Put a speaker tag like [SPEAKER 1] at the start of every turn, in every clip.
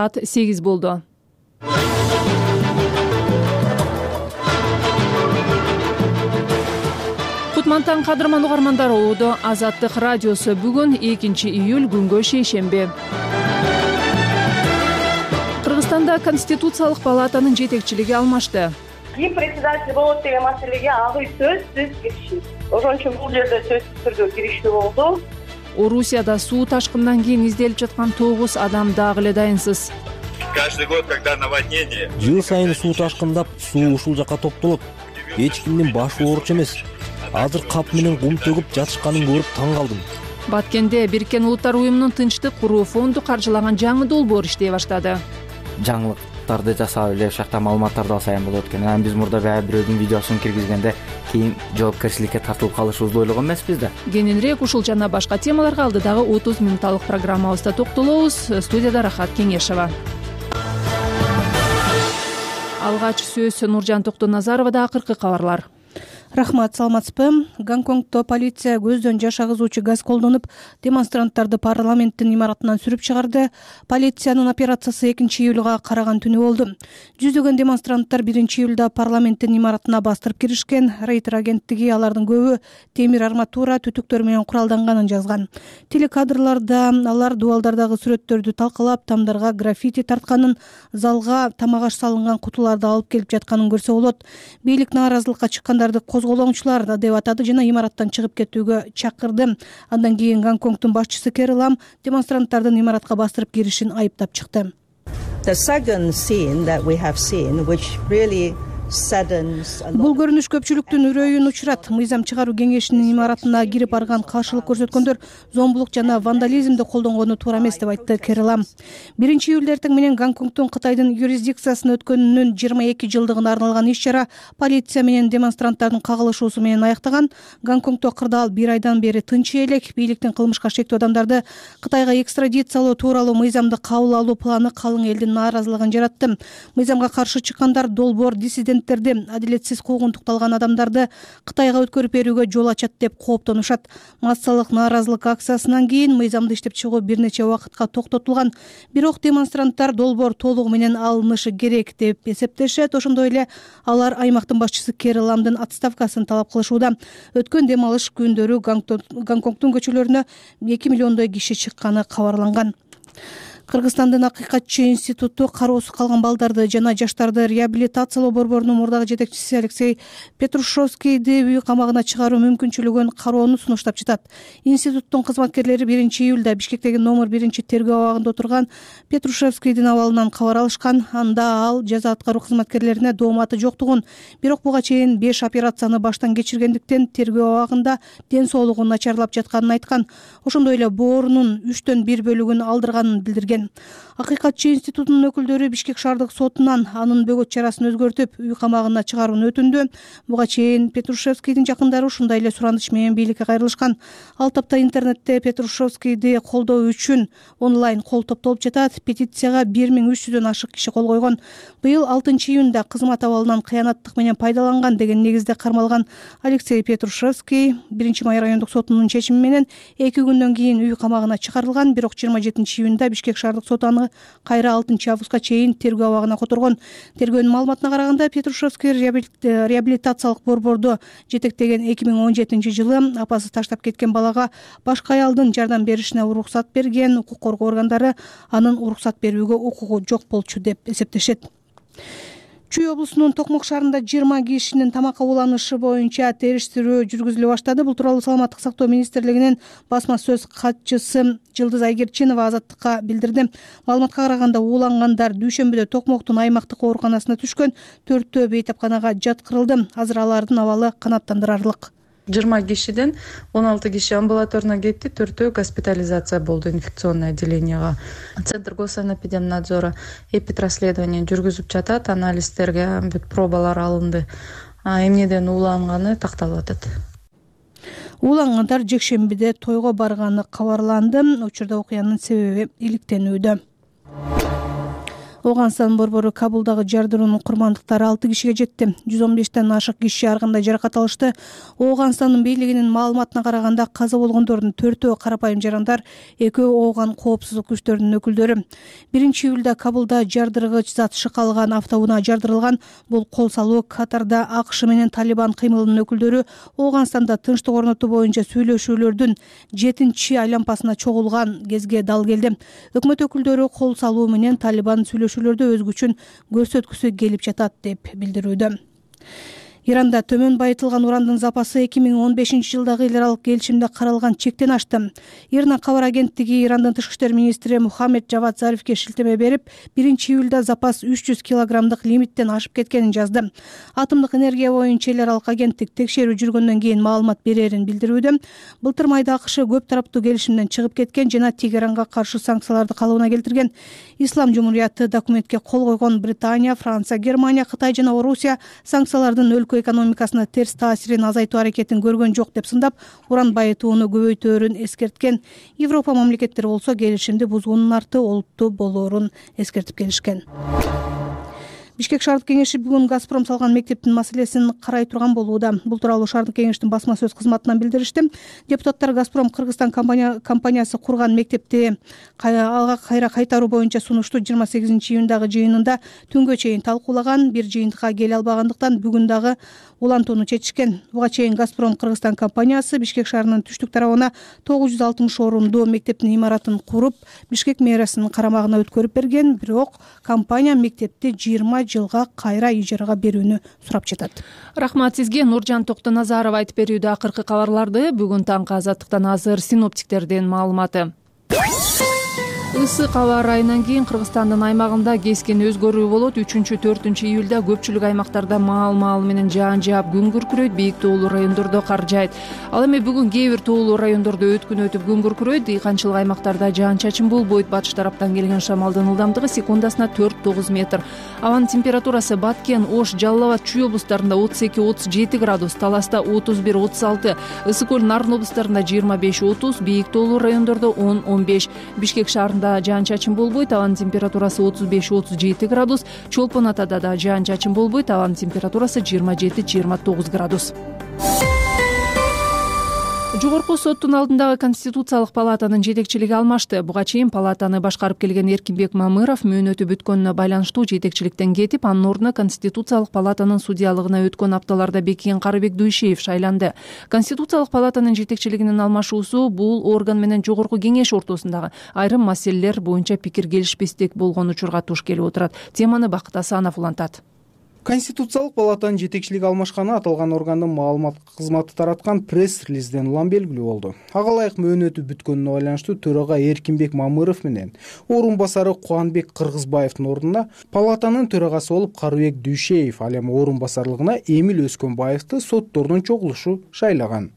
[SPEAKER 1] Saat 8 болду. Кутмантан кадырман угармандар, Оодо Азаттык радиосу бүгүн 2 июль күнгө шейшемби. Кыргызстанда Конституциялык палатанын жетекчилиги алмашты.
[SPEAKER 2] Ким председатель болот деген маселеге агы сөзсүз киришти. Ошон үчүн бул жерде сөзсүз түрдө киришти болду.
[SPEAKER 1] Орусияда суу ташкындан кийин изделип жаткан 9 адам дагы эле дайынсыз.
[SPEAKER 3] Каждый год, когда наводнение.
[SPEAKER 4] Жыл сайын суу ташкындап, суу ушул жака топтолот. Эч кимдин башы ооруч эмес. Азыр кап менен кум төгүп жатышканын көрүп таң калдым.
[SPEAKER 1] Баткенде Бириккен Улуттар уюмунун тынчтык куруу фонду каржылаган жаңы долбоор иштей баштады.
[SPEAKER 5] Жаңылыктарды жасап эле ушакта маалыматтарды алсайын болот экен. Анан биз мурда бирөөнүн видеосун киргизгенде кийин жоопкерчиликке тартылып калышыбызды ойлогон эмеспиз да.
[SPEAKER 1] Кененирээк ушул жана башка темаларга алдыдагы 30 минутталык программабызда токтолобуз. Студияда Рахат Кеңешова. Алгач сөз Нуржан Токтоназаровада. Акыркы кабарлар.
[SPEAKER 6] Рахмат, саламатсызбы? Гонконгдо полиция көздөн жаш агызуучу газ колдонуп, демонстранттарды парламенттин имаратынан сүрүп чыгарды. Полициянын операциясы 2 июлга караган түнү болду. Жүздөгөн демонстранттар 1 июлда парламенттин имаратына бастырып киришкен. Рейтер агенттиги алардын көбү темир арматура, түтүктөр менен куралданганын жазган. Телекадрларда алар дубалдардагы сүрөттөрдү талкалап, тамдарга граффити тартканын, залга тамак аш салынган кутуларды алып келип жатканын көрсө болот. Бийлик нааразылыкка чыккандарды козголоңчулар деп атады жана имараттан чыгып кетүүгө чакырды. Андан кийин Гонконгдун башчысы Кэри Лам демонстранттардын имаратка бастырып киришин айыптап чыкты. Бул көрүнүш көпчүлүктүн үрөйүн учурат. Мыйзам чыгаруу кеңешинин имаратына кирип барган каршылык көрсөткөндөр зомбулук жана вандализмди колдонгону туура эмес деп айтты Кэри Лам. 1 июль эртең менен Гонконгдун Кытайдын юрисдикциясына өткөнүнүн 22 жылдыгына арналган иш-чара полиция менен демонстранттардын кагылышуусу менен аяктаган. Гонконгдо кырдаал 1 айдан бери тынч элек. Бийликтин кылмышка шектүү адамдарды Кытайга экстрадициялоо тууралуу мыйзамды кабыл алуу планы калың элдин нааразылыгын жаратты. Мыйзамга каршы чыккандар долбоор диссидент адилетсиз куугунтукталган адамдарды Кытайга өткөрүп берүүгө жол ачат деп кооптонушат. Массалык нааразылык акциясынан кийин мыйзамды иштеп чыгуу бир нече убакытка токтотулган. Бирок демонстранттар долбоор толугу менен алынышы керек деп эсептешет. Ошондой эле алар аймактын башчысы Кэри Ламдын отставкасын талап кылышууда. Өткөн дем алыш күндөрү Гонконгдун көчөлөрүнө 2 миллиондой киши чыкканы кабарланган. Кыргызстандын Акыйкатчы институту кароосуз калган балдарды жана жаштарды реабилитациялоо борборунун мурдагы жетекчиси Алексей Петрушевскийди үй камагына чыгаруу мүмкүнчүлүгүн кароону сунуштап жатат. Институттун кызматкерлери 1 июлда Бишкектеги номер 1 тергөө абагында отурган Петрушевскийдин абалынан кабар алышкан. Анда ал жаза аткаруу кызматкерлерине дооматы жоктугун, бирок буга чейин 5 операцияны баштан кечиргендиктен тергөө абагында ден соолугу начарлап жатканын айткан. Ошондой эле боорунун 3/1 бөлүгүн алдырганын билдирген. Акыйкатчы институтунун өкүлдөрү Бишкек шаардык сотунан анын бөгөт чарасын өзгөртүп, үй камагына чыгарууну өтүндү. Буга чейин Петрушевскийдин жакындары ушундай эле сураныш менен бийликке кайрылышкан. Ал тапта интернетте Петрушевскийди колдоо үчүн онлайн кол топтолуп жатат. Петицияга 1300дөн ашык киши кол койгон. Быйыл 6 июнда кызмат абалынан кыянаттык менен пайдаланган деген негизде кармалган Алексей Петрушевский 1 май райондук сотунун чечими менен 2 күндөн кийин үй камагына чыгарылган. Бирок 27 июнда Бишкек шаардык соту аны кайра 6 августка чейин тергөө абагына которгон. Тергөөнүн маалыматына караганда Петрушевский реабилитациялык борборду жетектеген 2017 жылы апасы таштап кеткен балага башка аялдын жардам беришине уруксат берген. Укук коргоо органдары анын уруксат берүүгө укугу жок болчу деп эсептешет. Чүй облусунун Токмок шаарында 20 кишинин тамакка уланышы боюнча териштирүү жүргүзүлө баштады. Бул тууралуу Саламаттык сактоо министрлигинин басма сөз катчысы Жылдыз Айгерчинова Азаттыкка билдирди. Маалыматка караганда уулангандар дүйшөмбүдө Токмоктун аймактык ооруканасына түшкөн, 4-төө бейтапканага жаткырылды. Азыр алардын абалы канааттандырарлык.
[SPEAKER 7] 20 кишиден 16 киши амбулаторуна кетти, 4-төө госпитализация болду инфекционный отделенияга. Центр госанэпидемнадзора эпидрасследование жүргүзүп жатат, анализдерге пробалар алынды. Эмнеден ууланганы такталып атат.
[SPEAKER 6] Уулангандар жекшембиде тойго барганы кабарланды. Учурда окуянын себеби иликтенүүдө. Ооганстан борбору Кабулдагы жардыруунун курмандыктары 6 кишиге жетти. 115тен ашык киши ар кандай жаракат алышты. Ооганстандын бийлигинин маалыматына караганда каза болгондордун 4-өө карапайым жарандар, 2-өө Ооган коопсуздук күчтөрүнүн өкүлдөрү. 1-июлда Кабулда жардыргыч зат шыкалган автоунаа жардырылган. Бул кол салуу Катарда АКШ менен Талибан кыймылынын өкүлдөрү Ооганстанда тынчтык орнотуу боюнча сүйлөшүүлөрдүн 7-айлампасына чогулган кезге дал келди. Өкмөт өкүлдөрү кол салуу менен Талибан сүйлөшүүлөрдө өз күчүн көрсөткүсү келип жатат деп билдирүүдө. Иранда төмөн байытылган урандын запасы 2015-жылдагы эл аралык келишимде каралган чектен ашты. Ирна кабар агенттиги Ирандын тышкы иштер министри Мухаммед Джавад Зарифке шилтеме берип, 1-июлда запас 300 килограммдык лимиттен ашып кеткенин жазды. Атомдук энергия боюнча эл аралык агенттик текшерүү жүргөндөн кийин маалымат берерин билдирүүдө. Былтыр майда АКШ көп тараптуу келишимден чыгып кеткен жана Тегеранга каршы санкцияларды калыбына келтирген. Ислам Жумурияты документке кол койгон Британия, Франция, Германия, Кытай жана Орусия санкциялардын өлкө экономикасына терс таасирин азайтуу аракетин көргөн жок деп сындап, уран байытууну көбөйтөөрүн эскерткен. Европа мамлекеттери болсо келишимди бузуунун арты олуттуу болоорун эскертип келишкен. Бишкек шаардык кеңеши бүгүн Газпром салган мектептин маселесин карай турган болууда. Бул тууралуу шаардык кеңештин басма сөз кызматынан билдиришти. Депутаттар Газпром Кыргызстан компаниясы курган мектепти алга кайра кайтаруу боюнча сунушту 28-июндагы жыйынында түнгө чейин талкуулаган. Бир жыйынтыкка келе албагандыктан бүгүн дагы улантууну чечишкен. Буга чейин Газпром Кыргызстан компаниясы Бишкек шаарынын түштүк тарабына 960 орунду мектептин имаратын куруп, Бишкек мэриянын карамагына өткөрүп берген, бирок компания мектепти 20 жылга кайра ижарага берүүнү сурап жатат.
[SPEAKER 1] Рахмат сизге. Нуржан Токтоназарова айтып берүүдө акыркы кабарларды. Бүгүн таңкы Азаттыктан азыр синоптиктердин маалыматы. Ысык аба ырайынан кийин Кыргызстандын аймагында кескен өзгөрүү болот. 3-4 июлда көпчүлүк аймактарда маал менен жаан жаап күн күркүрөйт, бийик тоолуу райондордо кар жаайт. Ал эми бүгүн кээ бир тоолуу райондордо өткүн өтүп күн күркүрөйт. Дыйканчылык аймактарда жаан-чачын болбойт. Батыш тараптан келген шамалдын ылдамдыгы секундасына 4-9 метр. Абанын температурасы Баткен, Ош, Жалал Абад, Чүй облустарында 32-37 градус, Таласта 31-36, Ысык көл, Нарын облустарында 25-30, бийик тоолуу райондордо 10-15. Бишкек шаарында жаан-чачын болбойт, абанын температурасы 35-37 градус, Чолпон Атада да жаан-чачын болбойт, абанын температурасы 27-29 градус. Жогорку соттун алдындагы Конституциялык палатанын жетекчилиги алмашты. Буга чейин палатаны башкарып келген Эркинбек Мамыров мөөнөтү бүткөнүнө байланыштуу жетекчиликтен кетип, анын ордуна Конституциялык палатанын судьялыгына өткөн апталарда бекиген Карыбек Дуйшеев шайланды. Конституциялык палатанын жетекчилигинин алмашуусу бул орган менен жогорку кеңеш ортосундагы айрым маселелер боюнча пикир келишпестик болгон учурга туш келип отурат. Теманы Бакыт Асанов улантат.
[SPEAKER 8] Конституциялык палатанын жетекчилиги алмашканы аталган органдын маалымат кызматы тараткан пресс-релизден улам белгилүү болду. Ага ылайык мөөнөтү бүткөнүнө байланыштуу төрага Эркинбек Мамыров менен орун басары Кубанбек Кыргызбаевдин ордуна палатанын төрагасы болуп Карыбек Дуйшеев, ал эми орун басарлыгына Эмил Өскөнбаевди соттордун чогулушу шайлаган.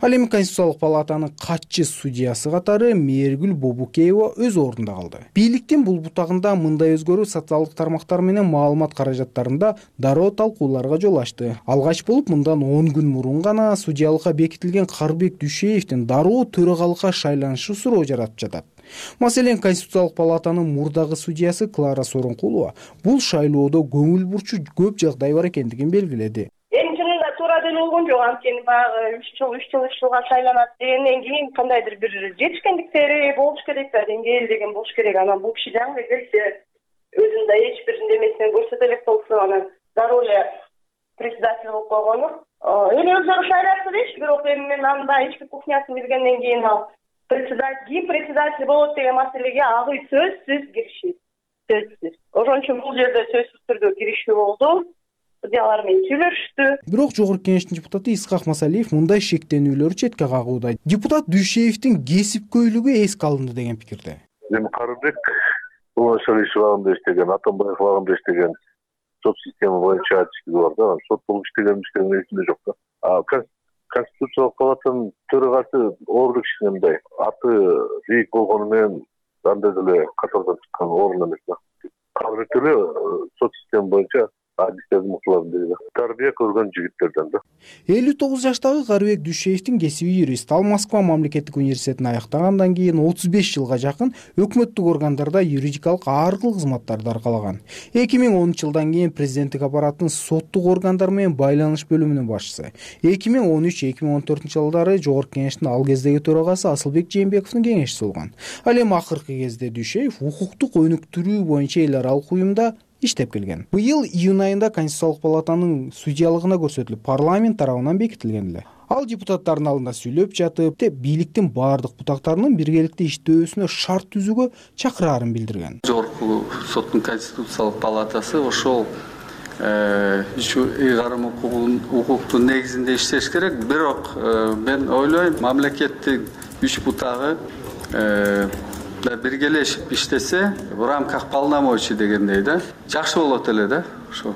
[SPEAKER 8] Ал эми Конституциялык палатанын катчы судьясы катары Мээргүл Бобукеева өз ордунда калды. Бийликтин бул бутагында мындай өзгөрүү социалдык тармактар менен маалымат каражаттарында дароо талкууларга жол ачты. Алгач болуп мындан 10 күн мурун гана судьялыкка бекитилген Карыбек Дуйшеевдин дароо төрагалыкка шайланышы суроо жаратып жатат. Маселен, Конституциялык палатанын мурдагы судьясы Клара Сооронкулова бул шайлоодо көңүл бурчу көп жагдай бар экендигин белгиледи.
[SPEAKER 2] Туура деле болгон жок, анткени баягы 3 жылга шайланат дегенден кийин кандайдыр бир жетишкендиктери болуш керек да, деңгээл деген болуш керек. Анан бул киши жаңы келсе өзүнүн да эч бир немесин көрсөтө элек болсо, анан дароо эле председатель болуп койгону. Эми өзүнө шайлатты дейт, бирок эми мен анын да эч бир кухнясын билгенден кийин ал председатель болот деген маселеге агы сөзсүз киришет. Сөзсүз. Ошон үчүн бул жерде сөзсүз түрдө киришүү болду. Судьялар менен сүйлөштү. Бирок жогорку кеңештин депутаты Исхак Масалиев мындай шектенүүлөрдү четке кагууда. Депутат Дуйшеевдин кесипкөйлүгү эске алынды деген пикирде.
[SPEAKER 9] Эми Карыбек Уланшалиш багында иштеген, Атамбаев багында иштеген сот система боюнча ачыктыгы бар да, сот болуп иштеген эсимде жок да. Конституциялык палатанын төрагасы орду кишинин мындай аты бийик болгону менен андай деле катардан чыккан орун эмес да. Карыбек деле сот система боюнча адистердин мыктыларын деди тарбия көргөн жигиттерден да.
[SPEAKER 8] 59 жаштагы Карыбек Дүйшеевдин кесиби юрист. Ал Москва мамлекеттик университетин аяктагандан кийин 35 жылга жакын өкмөттүк органдарда юридикалык ар кыл кызматтарды аркалаган. 2010 жылдан кийин президенттик аппараттын соттук органдар менен байланыш бөлүмүнүн башчысы. 2013-2014 жылдары Жогорку Кеңештин ал кездеги төрагасы Асылбек Жээнбековдун кеңешчиси болгон. Ал эми акыркы кезде Дүйшеев укуктук өнүктүрүү боюнча эл аралык уюмда иштеп келген. Быйыл июнь айында Конституциялык палатанын судьялыгына көрсөтүлүп, парламент тарабынан бекитилген эле. Ал депутаттардын алдында сүйлөп жатып, бийликтин баардык бутактарынын биргеликте иштөөсүнө шарт түзүүгө чакыраарын билдирген.
[SPEAKER 10] Жогорку соттун Конституциялык палатасы ошол ыйгарым укуктун негизинде иштеш керек. Бирок мен ойлойм, мамлекеттин 3 бутагы биргелешип иштесе, в рамках полномочий дегендей да, жакшы болот эле да, ошо.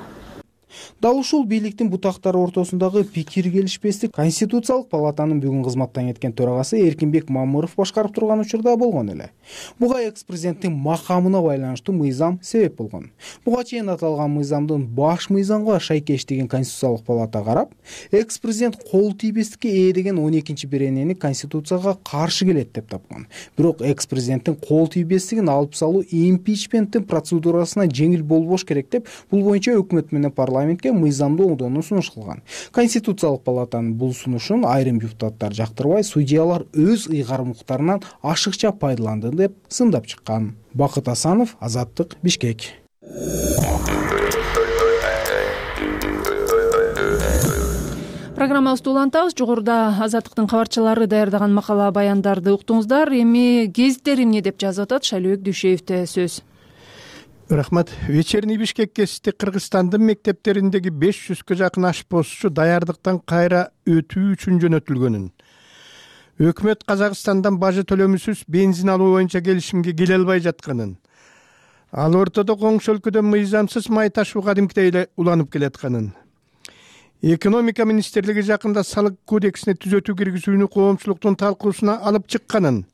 [SPEAKER 8] Дал ушул бийликтин бутактары ортосундагы пикир келишпестик Конституциялык палатанын бүгүн кызматтан кеткен төрагасы Эркинбек Мамыров башкарып турган учурда болгон эле. Буга экс-президенттин макамына байланыштуу мыйзам себеп болгон. Буга чейин аталган мыйзамдын баш мыйзамга шайкештигин Конституциялык палата карап, экс-президент кол тийбестикке ээ деген 12-беренени Конституцияга каршы келет деп тапкан. Бирок экс-президенттин кол тийбестигин алып салуу импичменттин процедурасына жеңил болбош керек деп, бул боюнча өкмөт менен парламентке мыйзамды оңдоону сунуш кылган. Конституциялык палатанын бул сунушун айрым депутаттар жактырбай, судьялар өз ыйгарымдыктарынан ашыкча пайдаланды деп сындап чыккан. Бакыт Асанов, Азаттык, Бишкек.
[SPEAKER 1] Программабызды улантабыз. Жогоруда Азаттыктын кабарчылары даярдаган макала баяндарды уктуңуздар. Эми гезиттер эмне деп жазып атат? Шайлообек Дүйшеевде сөз.
[SPEAKER 11] Рахмат. Вечерний Бишкек гезити Кыргызстандын мектептериндеги 500гө жакын ашпозчу даярдыктан кайра өтүү үчүн жөнөтүлгөнүн, өкмөт Казакстандан бажы төлөмүсүз бензин алуу боюнча келишимге келе албай жатканын, ал ортодо коңшу өлкөдөн мыйзамсыз май ташуу кадимкидей эле уланып келатканын, экономика министрлиги жакында салык кодексине түзөтүү киргизүүнү коомчулуктун талкуусуна алып чыкканын,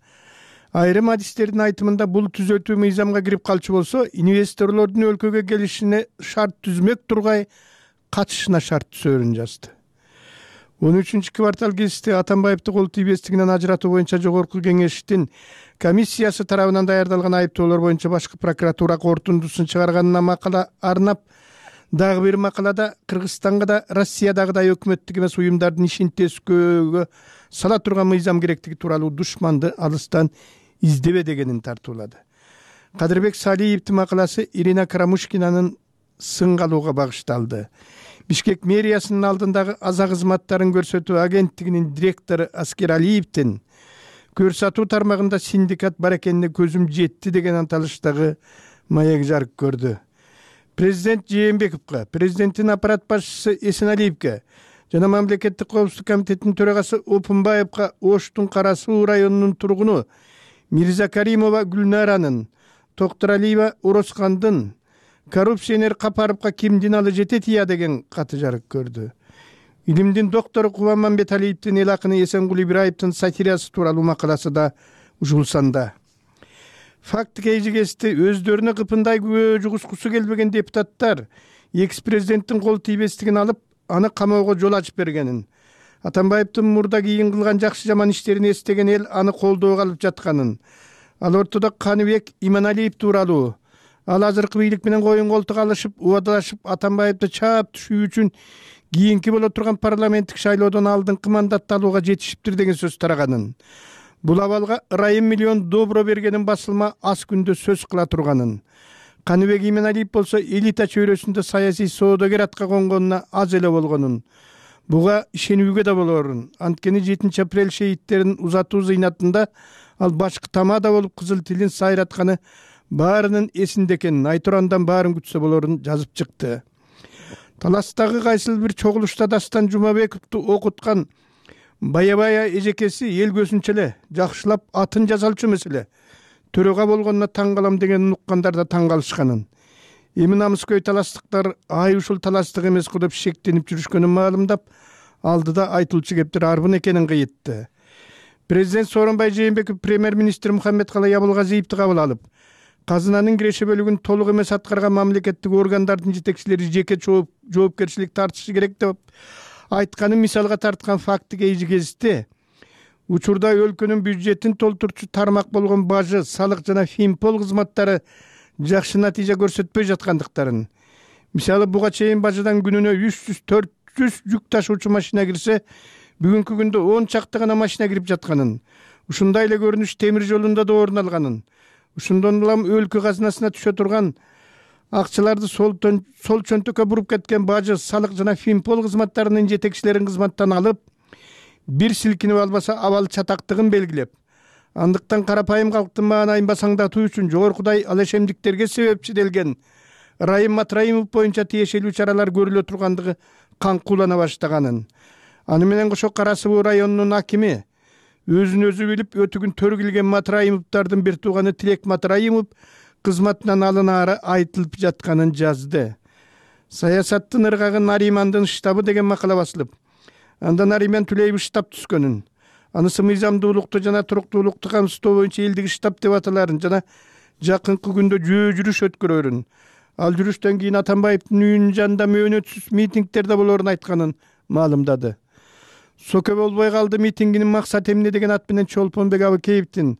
[SPEAKER 11] айрым адистердин айтымында бул түзөтүү мыйзамга кирип калчу болсо, инвесторлордун өлкөгө келишине шарт түзмөк тургай катышына шарт түзөөрүн жазды. 13 квартал гезити Атамбаевди кол тийбестигинен ажыратуу боюнча Жогорку Кеңештин комиссиясы тарабынан даярдалган айыптоолор боюнча башкы прокуратура корутундусун чыгарганына макала арнап, дагы бир макалада Кыргызстанга да Россиядагыдай өкмөттүк эмес уюмдардын ишин тескөөгө сала турган мыйзам керектиги тууралуу душманды алыстан издебе дегенин тартуулады. Кадырбек Салиевдин макаласы Ирина Карамушкинанын сынга алууга багышталды. Бишкек мэриясынын алдындагы аза кызматтарын көрсөтүү агенттигинин директору Аскер Алиевдин көрсөтүү тармагында синдикат бар экенине көзүм жетти деген анталыштагы маек жарык көрдү. Президент Жээнбековго, президенттин аппарат башчысы Эсеналиевге жана мамлекеттик коопсуздук комитетинин төрагасы Опунбаевга Оштун Кара Суу районунун тургуну Мирза Каримова Гүлнаранын, Токторалиева Ороскандын коррупционер Капаровго кимдин алы жетет ия деген каты жарык көрдү. Илимдин доктору Кубанмамбеталиевдин эл акыны Эсенгул Ибраевдин сатирасы тууралуу макаласы да ушул санда. Факт кейжигести өздөрүнө кыпындай күбө жугускусу келбеген депутаттар экс-президенттин кол тийбестигин алып, аны камоого жол ачып бергенин, Атамбаевдин мурда кийин кылган жакшы жаман иштерин эстеген эл аны колдоого алып жатканын, ал ортодо Каныбек Иманалиев тууралуу, ал азыркы бийлик менен коюн колтук алышып, убадалашып Атамбаевди чаап түшүү үчүн кийинки боло турган парламенттик шайлоодон алдыңкы мандатты алууга жетишиптир деген сөз тараганын, бул абалга ырайым миллион добро бергенин басылма аз күндө сөз кыла турганын, Каныбек Иманалиев болсо элита чөйрөсүндө саясий соодагер атка конгонуна аз эле болгонун, буга ишенүүгө да болорун. Анткени 7 апрель шейттерин узатуу зыйнатында ал башкы тамада болуп кызыл тилин сайратканы баарынын эсинде экенин, айтурандан баарын күтсө болорун жазып чыкты. Таластагы кайсыл бир чогулушта Дастан Жумабековду окуткан бая эжекеси эл көзүнчө эле жакшылап атын жазалчу эмес эле төрөгө болгонуна таң калам дегенин уккандар да таң калышканын. Эми намыскөй таластыктар ай ушул таластык эмес го деп шектенип жүрүшкөнүн маалымдап, алдыда айтылчу кептер арбын экенин кыйытты. Президент Сооронбай Жээнбеков премьер-министр Мухаммедкалый Абылгазиевди кабыл алып, казынанын киреше бөлүгүн толук эмес аткарган мамлекеттик органдардын жетекчилери жеке жоопкерчилик тартышы керек деп айтканын мисалга тарткан факти кездешти. Учурда өлкөнүн бюджетин толтурчу тармак болгон бажы, салык жана финпол кызматтары жакшы натыйжа көрсөтпөй жаткандыктарын. Мисалы буга чейин бажыдан күнүнө 300-400 жүк ташуучу машина кирсе, бүгүнкү күндө 10 чакты гана машина кирип жатканын, ушундай эле көрүнүш темир жолунда да орун алганын, ошондон улам өлкө казынасына түшө турган акчаларды сол чөнтөккө буруп кеткен бажы, салык жана финпол кызматтарынын жетекчилерин кызматтан алып, бир силкинип албаса абал чатактыгын белгилеп, андыктан карапайым калктын маанайын басаңдатуу үчүн жогоркудай алешемдиктерге себепчи делген Райым Матраимов боюнча тиешелүү чаралар көрүлө тургандыгы каңкуулана баштаганын. Аны менен кошо Кара Суу районунун акими өзүн өзү билип өтүгүн төргилген Матраимовдардын бир тууганы Тилек Матраимов кызматынан алынаары айтылып жатканын жазды. Саясаттын ыргагы Наримандын штабы деген макала басылып, анда Нариман Түлеев штаб түскөнүн, анысы мыйзамдуулукту жана туруктуулукту камсыздоо боюнча элдик штаб деп аталарын жана жакынкы күндө жөө жүрүш өткөрөрүн, ал жүрүштөн кийин Атамбаевдин үйүнүн жанында мөөнөтсүз митингдерде болоорун айтканын маалымдады. Соке болбой калды митингинин максаты эмне деген ат менен Чолпонбек Абыкеевдин,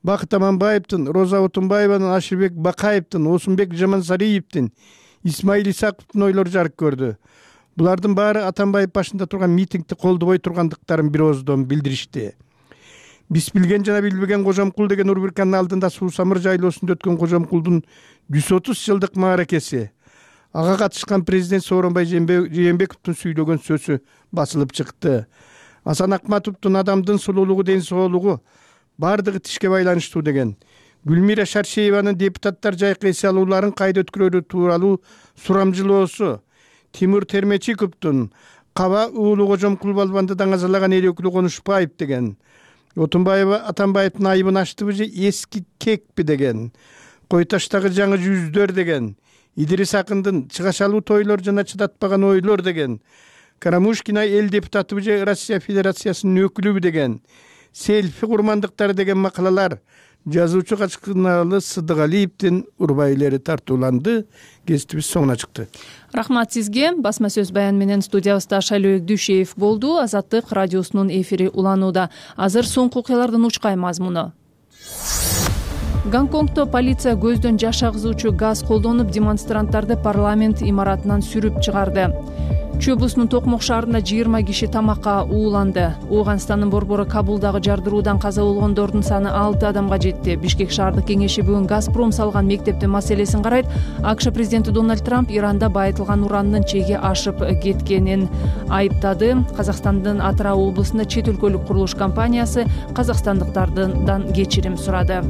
[SPEAKER 11] Бакыт Аманбаевдин, Роза Отунбаеванын, Ашырбек Бакаевдин, Осунбек Жамансариевдин, Исмаил Исаковдун ойлору жарык көрдү. Булардын баары Атамбаев башында турган митингди колдобой тургандыктарын бир ооздон билдиришти. Биз билген жана билбеген Кожомкул деген рубриканын алдында Суусамыр жайлоосунда өткөн Кожомкулдун 130 жылдык мааракеси, ага катышкан президент Сооронбай Жээнбековдун сүйлөгөн сөзү басылып чыкты. Асан Акматовдун адамдын сулуулугу, ден соолугу бардыгы тишке байланыштуу деген, Гүлмира Шаршееванын депутаттар жайкы эс алууларын кайда өткөрүү тууралуу сурамжылоосу, Тимур Термечиковдун Каба уулу Кожомкул балбанды даңазалаган эл өкүлү Конушбаев деген, Отунбаева Атамбаевдин айыбын аштыбы же эски кекпи деген, Кой таштагы жаңы жүздөр деген, Идирис Акындын чыгашалуу тойлор жана чыдатпаган ойлор деген, Карамушкина эл депутатыбы же Россия Федерациясынын өкүлүбү деген, селфи курмандыктары деген макалалар жазуучу Качкынаалы Сыдыгалиевдин урбайлери тартууланды. Кеситибиз соңуна чыкты.
[SPEAKER 1] Рахмат сизге. Басма сөз баян менен студиябызда Шайлообек Дүйшеев болду. Азаттык радиосунун эфири уланууда. Азыр соңку окуялардын учкай мазмуну. Гонконгдо полиция көздөн жаш агызуучу газ колдонуп демонстранттарды парламент имаратынан сүрүп чыгарды. Чүй облусунун Токмок шаарында 20 киши тамакка ууланды. Ооганстандын борбору Кабулдагы жардыруудан каза болгондордун саны 6 адамга жетти. Бишкек шаардык кеңеши бүгүн Газпром салган мектептин маселесин карайт. АКШ президенти Дональд Трамп Иранда байытылган уранын чеги ашып кеткенин айыптады. Казакстандын Атырау облусунда чет өлкөлүк курулуш компаниясы казакстандыктардан кечирим сурады.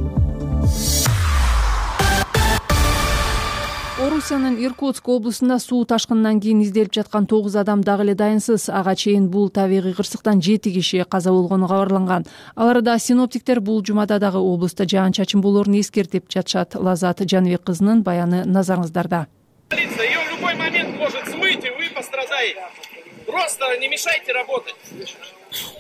[SPEAKER 1] Орусиянын Иркутск облусунда суу ташкынынан кийин изделип жаткан 9 адам дагы эле дайынсыз. Ага чейин бул табигый кырсыктан 7 киши каза болгону кабарланган. Аларда синоптиктер бул жумада дагы облуста жаан-чачын болоорун эскертип жатышат. Лазат Жаныбек кызынын баяны назарыңыздарда.
[SPEAKER 12] Полиция, её в любой момент может смыть, и вы пострадаете. Просто не мешайте работать.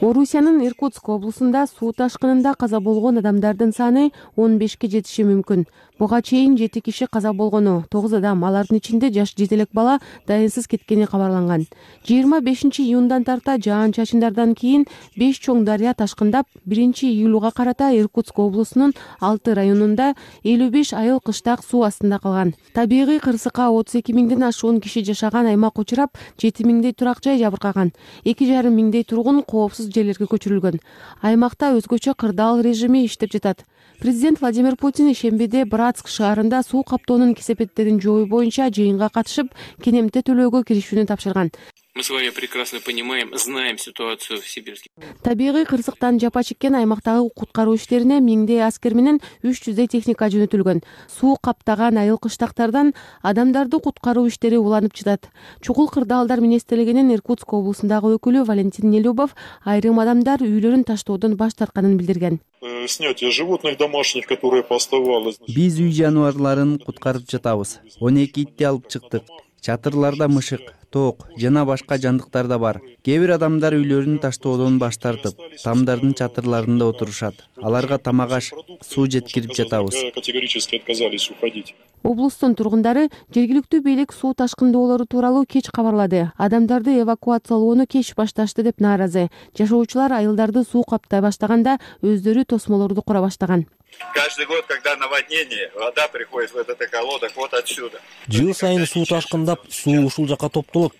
[SPEAKER 13] Орусиянын Иркутск облусунда суу ташкынында каза болгон адамдардын саны 15ке жетиши мүмкүн. Буга чейин 7 киши каза болгону, 9 адам, алардын ичинде жаш жетелек бала дайынсыз кеткени кабарланган. 25-июндан тарта жаан-чачындардан кийин 5 чоң дарыя ташкындап, 1-июлга карата Иркутск облусунун 6 районунда 55 айыл кыштак суу астында калган. Табигый кырсыкка 32 миңден ашуун киши жашаган аймак учурап, 7 миңдей турак жай жабыркаган. 2,5 миңдей тургун коопсуз жерлерге көчүрүлгөн. Аймакта өзгөчө кырдаал режими иштеп жатат. Президент Владимир Путин ишембиде Братск шаарында суу каптоонун кесепеттерин жоюу боюнча жыйынга катышып, кенемте төлөөгө киришүүнү тапшырган.
[SPEAKER 12] Мы с вами прекрасно понимаем, знаем ситуацию в Сибирске.
[SPEAKER 13] Табигый кырсыктан жапа чеккен аймактагы куткаруу иштерине 1000дей аскер менен 300дей техника жөнөтүлгөн. Суу каптаган айыл кыштактардан адамдарды куткаруу иштери уланып жатат. Чукул кырдаалдар министрлигинин Иркутск облусундагы өкүлү Валентин Нелюбов айрым адамдар үйлөрүн таштоодон баш тартканын билдирген.
[SPEAKER 14] Снятие животных домашних, которые поставалось.
[SPEAKER 15] Биз үй жаныбарларын куткарып жатабыз. 12 итти алып чыктык. Чатырларда мышык, ток жана башка жандыктар да бар. Кээ бир адамдар үйлөрүн таштоодон баш тартып, тамдардын чатырларында отурушат. Аларга тамак аш, суу жеткирип жатабыз.
[SPEAKER 14] Категорически отказались уходить.
[SPEAKER 13] Облустун тургундары жергиликтүү бийлик суу ташкындоолору тууралуу кеч кабарлады. Адамдарды эвакуациялоону кеч башташты деп нааразы. Жашоочулар айылдарды суу каптай баштаганда өздөрү тосмолорду кура баштаган.
[SPEAKER 3] Каждый год, когда наводнение, вода приходит в этот околодок вот отсюда.
[SPEAKER 4] Жыл сайын суу ташкындап, суу ушул жака топтолот.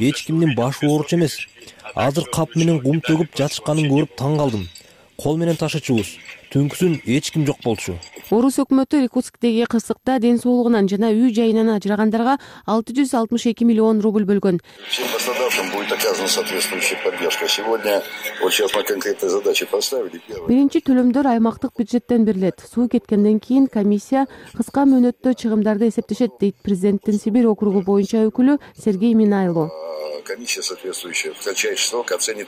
[SPEAKER 4] Эч кимдин башы ооруч эмес. Азыр кап менен кум төгүп жатышканын көрүп таң калдым. Кол менен ташычубуз. Түнкүсүн эч ким жок болчу.
[SPEAKER 13] Орус өкмөтү Иркутсктеги кырсыкта ден соолугунан жана үй жайынан ажырагандарга 662 миллион рубль бөлгөн.
[SPEAKER 16] Всем пострадавшим будет оказана соответствующая поддержка. Сегодня вот сейчас мы конкретные задачи поставили.
[SPEAKER 13] Биринчи төлөмдөр аймактык бюджеттен берилет. Суу кеткенден кийин комиссия кыска мөөнөттө чыгымдарды эсептешет дейт президенттин Сибирь округу боюнча өкүлү Сергей Минайло.
[SPEAKER 16] Комиссия соответствующая в кратчайший срок оценит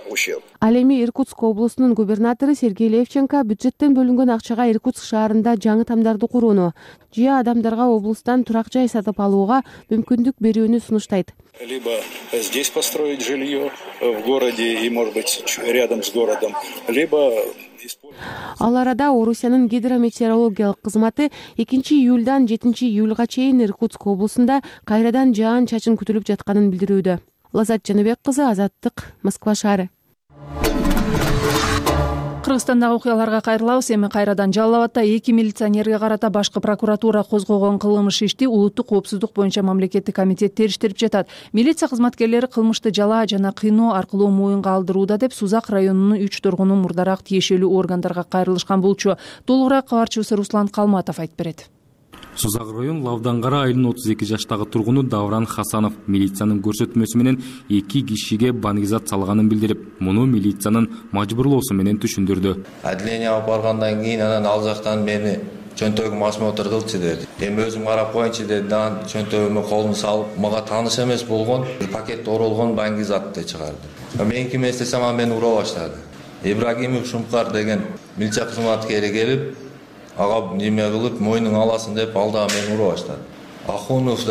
[SPEAKER 16] ущерб.
[SPEAKER 13] Ал эми Иркутск облусунун губернатору Сергей Левченко бюджеттен бөлүнгөн акчага Иркутск шаарында жаңы тамдарды курууну, жыя адамдарга облустан турак жай сатып алууга мүмкүндүк берүүнү сунуштайт.
[SPEAKER 14] Либо здесь построить жилье в городе и, может быть, рядом с городом, либо
[SPEAKER 13] Ал арада Орусиянын гидрометеорологиялык кызматы 2-июлдан 7-июлга чейин Иркутск облусунда кайрадан жаан-чачын күтүлүп жатканын билдирүүдө. Лазат Жаныбек кызы, Азаттык, Москва шаары.
[SPEAKER 1] Кыргызстандагы окуяларга кайрылабыз. Эми кайрадан Жалал Абадда 2 милиционерге карата башкы прокуратура козгогон кылмыш ишти улуттук коопсуздук боюнча мамлекеттик комитет териштирип жатат. Милиция кызматкерлери кылмышты жалаа жана кыйноо аркылуу моюнга алдырууда деп Сузак районунун 3 тургуну мурдараак тиешелүү органдарга кайрылышкан болчу. Толугураак кабарчыбыз Руслан Калматов айтып берет.
[SPEAKER 17] Сузак район Лавдангара айылынын 32 жаштагы тургуну Давран Хасанов милициянын көрсөтмөсү менен 2 кишиге баңгизат салганын билдирип, муну милициянын мажбурлоосу менен түшүндүрдү.
[SPEAKER 18] Отделение алып баргандан кийин анан ал жактан мени чөнтөгүм осмотр кылчы деди. Эми өзүм карап коеюнчу деди. Анан чөнтөгүмө колун салып, мага тааныш эмес болгон бир пакет оролгон баңгизатты чыгарды. Мен ким эстесем ал мени ура баштады. Ибрагимов Шумкар деген милиция кызматкери келип, ага неме кылып мойнуң аласың деп ал да мени ура баштады. Ахунов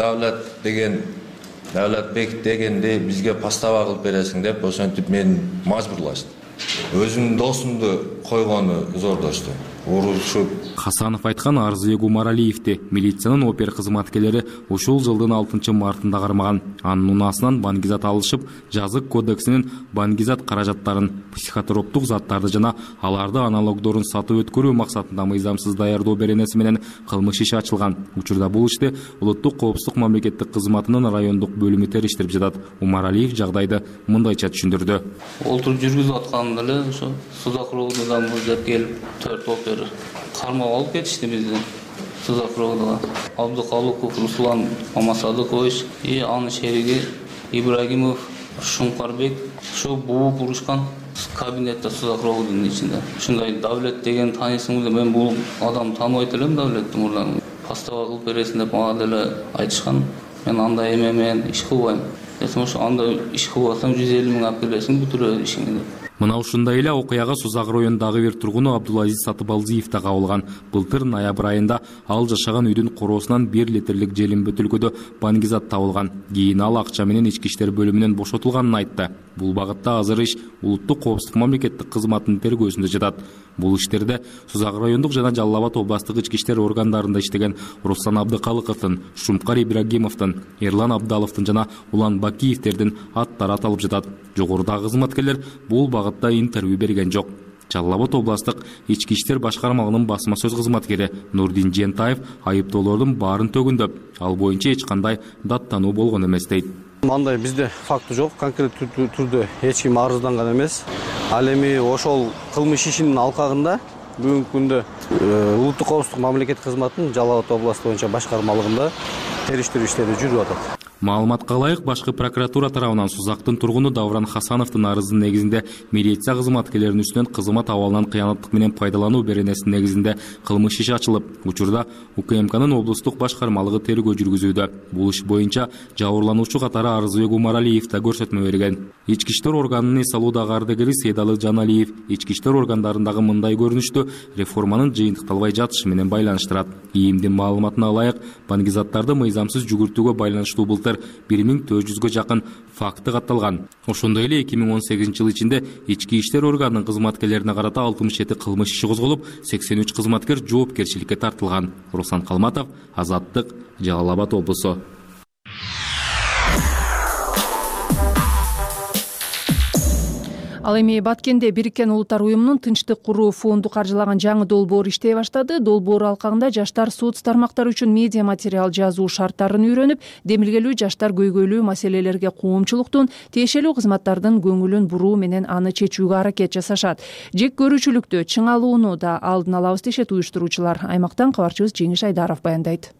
[SPEAKER 18] Давлатбек дегенде бизге постава кылып бересиң деп ошентип мени мажбурлашты. Өзүмдүн досумду койгону зордошту. Урушуп.
[SPEAKER 17] Хасанов айткан Арзыбек Умаралиевди милициянын опер кызматкерлери ушул жылдын 6-мартында кармаган. Анын унаасынан баңгизат алышып, жазык кодексинин баңгизат каражаттарын, психотроптук заттарды жана аларды аналогдорун сатып өткөрүү максатында мыйзамсыз даярдоо беренеси менен кылмыш иши ачылган. Учурда бул ишти улуттук коопсуздук мамлекеттик кызматынын райондук бөлүмү териштирип жатат. Умаралиев жагдайды мындайча түшүндүрдү.
[SPEAKER 19] Олтуруп жүргүзүп атканда эле ошо Сузак районунан мужат келип 4 опер кармап алып кетишти бизди. Сузак районуна Абдыкалыков Руслан Мамасадыкович и анын шериги Ибрагимов Шумкарбек ошо бууп урушкан кабинетте Сузак районунун ичинде. Ушундай Давлет деген таанисыңбы? Мен бул адам тааныбайт элем Давлетти мурдан. Постава кылып бересиң деп мага деле айтышкан. Мен андай эме менен иш кылбайм. Десем ошо андай иш кылбасам 150 миң алып бересиң бүтүрө ишиңди деп.
[SPEAKER 17] Мына ушундай эле окуяга Сузак районундагы бир тургуну Абдулазиз Сатыбалдиев да кабылган. Былтыр ноябрь айында ал жашаган үйдүн короосунан 1 литрлик желим бөтөлкөдө баңгизат табылган. Кийин ал акча менен ички иштер бөлүмүнөн бошотулганын айтты. Бул багытта азыр иш улуттук коопсуздук мамлекеттик кызматынын тергөөсүндө жатат. Бул иштерде Сузак райондук жана Жалал Абад областык ички иштер органдарында иштеген Руслан Абдыкалыковдун, Шумкар Ибрагимовдун, Эрлан Абдаловдун жана Улан Бакиевдердин аттары аталып жатат. Жогорудагы кызматкерлер бул багытта интервью берген жок. Жалал Абад областык ички иштер башкармалыгынын басма сөз кызматкери Нурдин Жентаев айыптоолордун баарын төгүндөп, ал боюнча эч кандай даттануу болгон эмес дейт.
[SPEAKER 20] Мындай бизде факты жок, конкреттүү түрдө эч ким арызданган эмес. Ал эми ошол кылмыш ишинин алкагында бүгүнкү күндө улуттук коопсуздук мамлекеттик кызматынын Жалал Абад областы боюнча башкармалыгында териштирүү иштери жүрүп атат.
[SPEAKER 17] Маалыматка ылайык, башкы прокуратура тарабынан Сузактын тургуну Давран Хасановдун арызынын негизинде милиция кызматкерлеринин үстүнөн кызмат абалынан кыянаттык менен пайдалануу беренесинин негизинде кылмыш иши ачылып, учурда УКМКнын облустук башкармалыгы тергөө жүргүзүүдө. Бул иш боюнча жабырлануучу катары Арзыбек Умаралиев да көрсөтмө берген. Ички иштер органынын эс алуудагы ардагери Сейдалы Жаналиев ички иштер органдарындагы мындай көрүнүштү реформанын жыйынтыкталбай жатышы менен байланыштырат. ИИМдин маалыматына ылайык, баңгизаттарды мыйзамсыз жүгүртүүгө байланыштуу былтыр былтыр 1400-гө жакын факты катталган. Ошондой эле 2018-жыл ичинде ички иштер органынын кызматкерлерине карата 67 кылмыш иши козголуп, 83 кызматкер жоопкерчиликке тартылган. Руслан Калматов, Азаттык, Жалал Абад облусу.
[SPEAKER 1] Ал эми Баткенде Бириккен Улуттар уюмунун Тынчтык куруу фонду каржылаган жаңы долбоор иштей баштады. Долбоор алкагында жаштар соц тармактар үчүн медиа материал жазуу шарттарын үйрөнүп, демилгелүү жаштар көйгөйлүү маселелерге коомчулуктун, тиешелүү кызматтардын көңүлүн буруу менен аны чечүүгө аракет жасашат. Жек көрүүчүлүктү, чыңалууну да алдын алабыз дешет уюштуруучулар. Аймактан кабарчыбыз Жеңиш Айдаров баяндайт.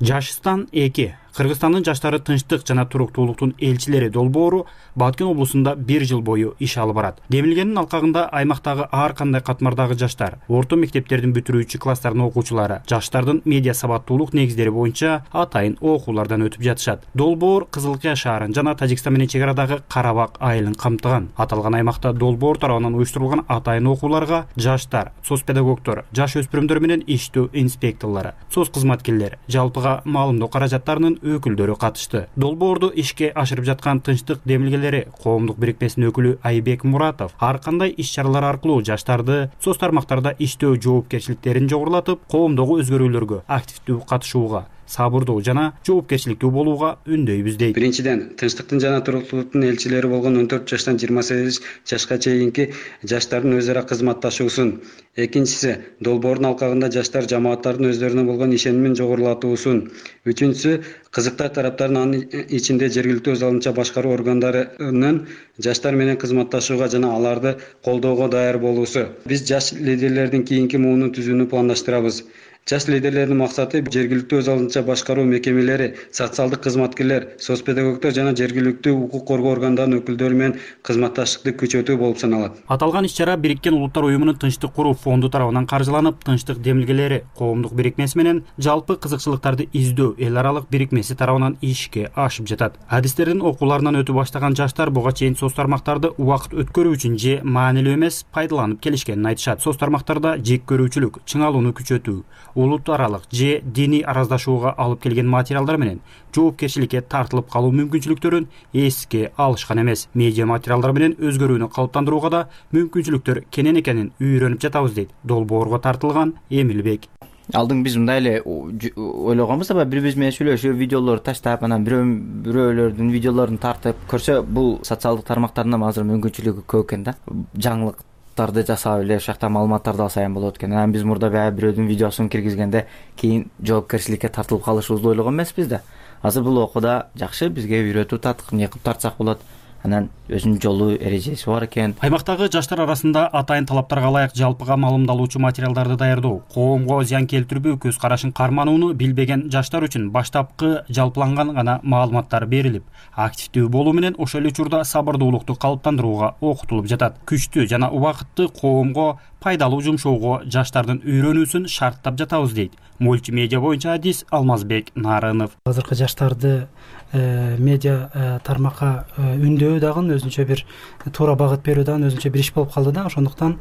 [SPEAKER 21] Жашстан 2 Кыргызстандын жаштары тынчтык жана туруктуулуктун элчилери долбоору Баткен облусунда 1 жыл бою иш алып барат. Демилгенин алкагында аймактагы ар кандай катмардагы жаштар, орто мектептердин бүтүрүүчү класстардын окуучулары жаштардын медиа сабаттуулук негиздери боюнча атайын окуулардан өтүп жатышат. Долбоор Кызыл Кыя шаарын жана Тажикстан менен чегарадагы Карабак айылын камтыган. Аталган аймакта долбоор тарабынан уюштурулган атайын окууларга жаштар, соцпедагогдор, жаш өспүрүмдөр менен иштөө инспекторлору, соц кызматкерлери, жалпыга маалымдоо каражаттарынын өкүлдөрү катышты. Долбоорду ишке ашырып жаткан Тынчтык демилгелери коомдук бирикмесинин өкүлү Айбек Муратов ар кандай иш-чаралар аркылуу жаштарды соц тармактарда иштөө жоопкерчиликтерин жогорулатып, коомдогу өзгөрүүлөргө активдүү катышууга, сабырдуу жана жоопкерчиликтүү болууга үндөйбүз дейт.
[SPEAKER 22] Биринчиден, тынчтыктын жана туруктуулуктун элчилери болгон 14 жаштан 28 жашка чейинки жаштардын өз ара кызматташуусун. Экинчиси, долбоордун алкагында жаштар жамааттардын өздөрүнө болгон ишенимин жогорулатуусун. Үчүнчүсү, кызыктар тараптарын анын ичинде жергиликтүү өз алдынча башкаруу органдарынын жаштар менен кызматташууга жана аларды колдоого даяр болуусу. Биз жаш лидерлердин кийинки муунун түзүүнү пландаштырабыз. Жаш лидерлердин максаты жергиликтүү өз алдынча башкаруу мекемелери, социалдык кызматкерлер, соцпедагогдор жана жергиликтүү укук коргоо органдарынын өкүлдөрү менен кызматташтыкты күчөтүү болуп саналат.
[SPEAKER 21] Аталган иш-чара Бириккен Улуттар уюмунун Тынчтык куруу фонду тарабынан каржыланып, Тынчтык демилгелери коомдук бирикмеси менен жалпы кызыкчылыктарды издөө эл аралык бирикмеси тарабынан ишке ашып жатат. Адистердин окууларынан өтүп баштаган жаштар буга чейин соц тармактарды убакыт өткөрүү үчүн же маанилүү эмес пайдаланып келишкенин айтышат. Соц тармактарда жек көрүүчүлүк, чыңалууну күчөтүү, улут аралык же диний араздашууга алып келген материалдар менен жоопкерчиликке тартылып калуу мүмкүнчүлүктөрүн эске алышкан эмес. Медиа материалдар менен өзгөрүүнү калыптандырууга да мүмкүнчүлүктөр кенен экенин үйрөнүп жатабыз дейт долбоорго тартылган Эмилбек.
[SPEAKER 5] Алдың биз мындай эле ойлогонбуз, аба бири биз менен сүйлөшүп, видеолорду таштап, анан бирөөлөрдүн видеолорун тартып көрсө, бул социалдык тармактарда азыр мүмкүнчүлүгү көп экен да. Жаңылыктарды жасап эле ушакта маалыматтарды алсайын болот экен. Анан биз мурда баягы бирөөдүн видеосун киргизгенде кийин жоопкерчиликке тартылып калышыбызды ойлогон эмеспиз да. Азыр бул окууда жакшы бизге үйрөтүп татык эмне кылып тартсак болот. Анан өзүнүн жолу эрежеси бар экен.
[SPEAKER 21] Аймактагы жаштар арасында атайын талаптарга ылайык жалпыга маалымдалуучу материалдарды даярдоо, коомго зыян келтирбөө көз карашын карманууну билбеген жаштар үчүн баштапкы жалпыланган гана маалыматтар берилип, активдүү болуу менен ошол эле учурда сабырдуулукту калыптандырууга окутулуп жатат. Күчтүү жана убакытты коомго пайдалуу жумшоого жаштардын үйрөнүүсүн шарттап жатабыз дейт мультимедиа боюнча адис Алмазбек Нарынов.
[SPEAKER 23] Азыркы жаштарды медиа тармакка үндөө дагы өзүнчө бир туура багыт берүү дагы өзүнчө бир иш болуп калды да. Ошондуктан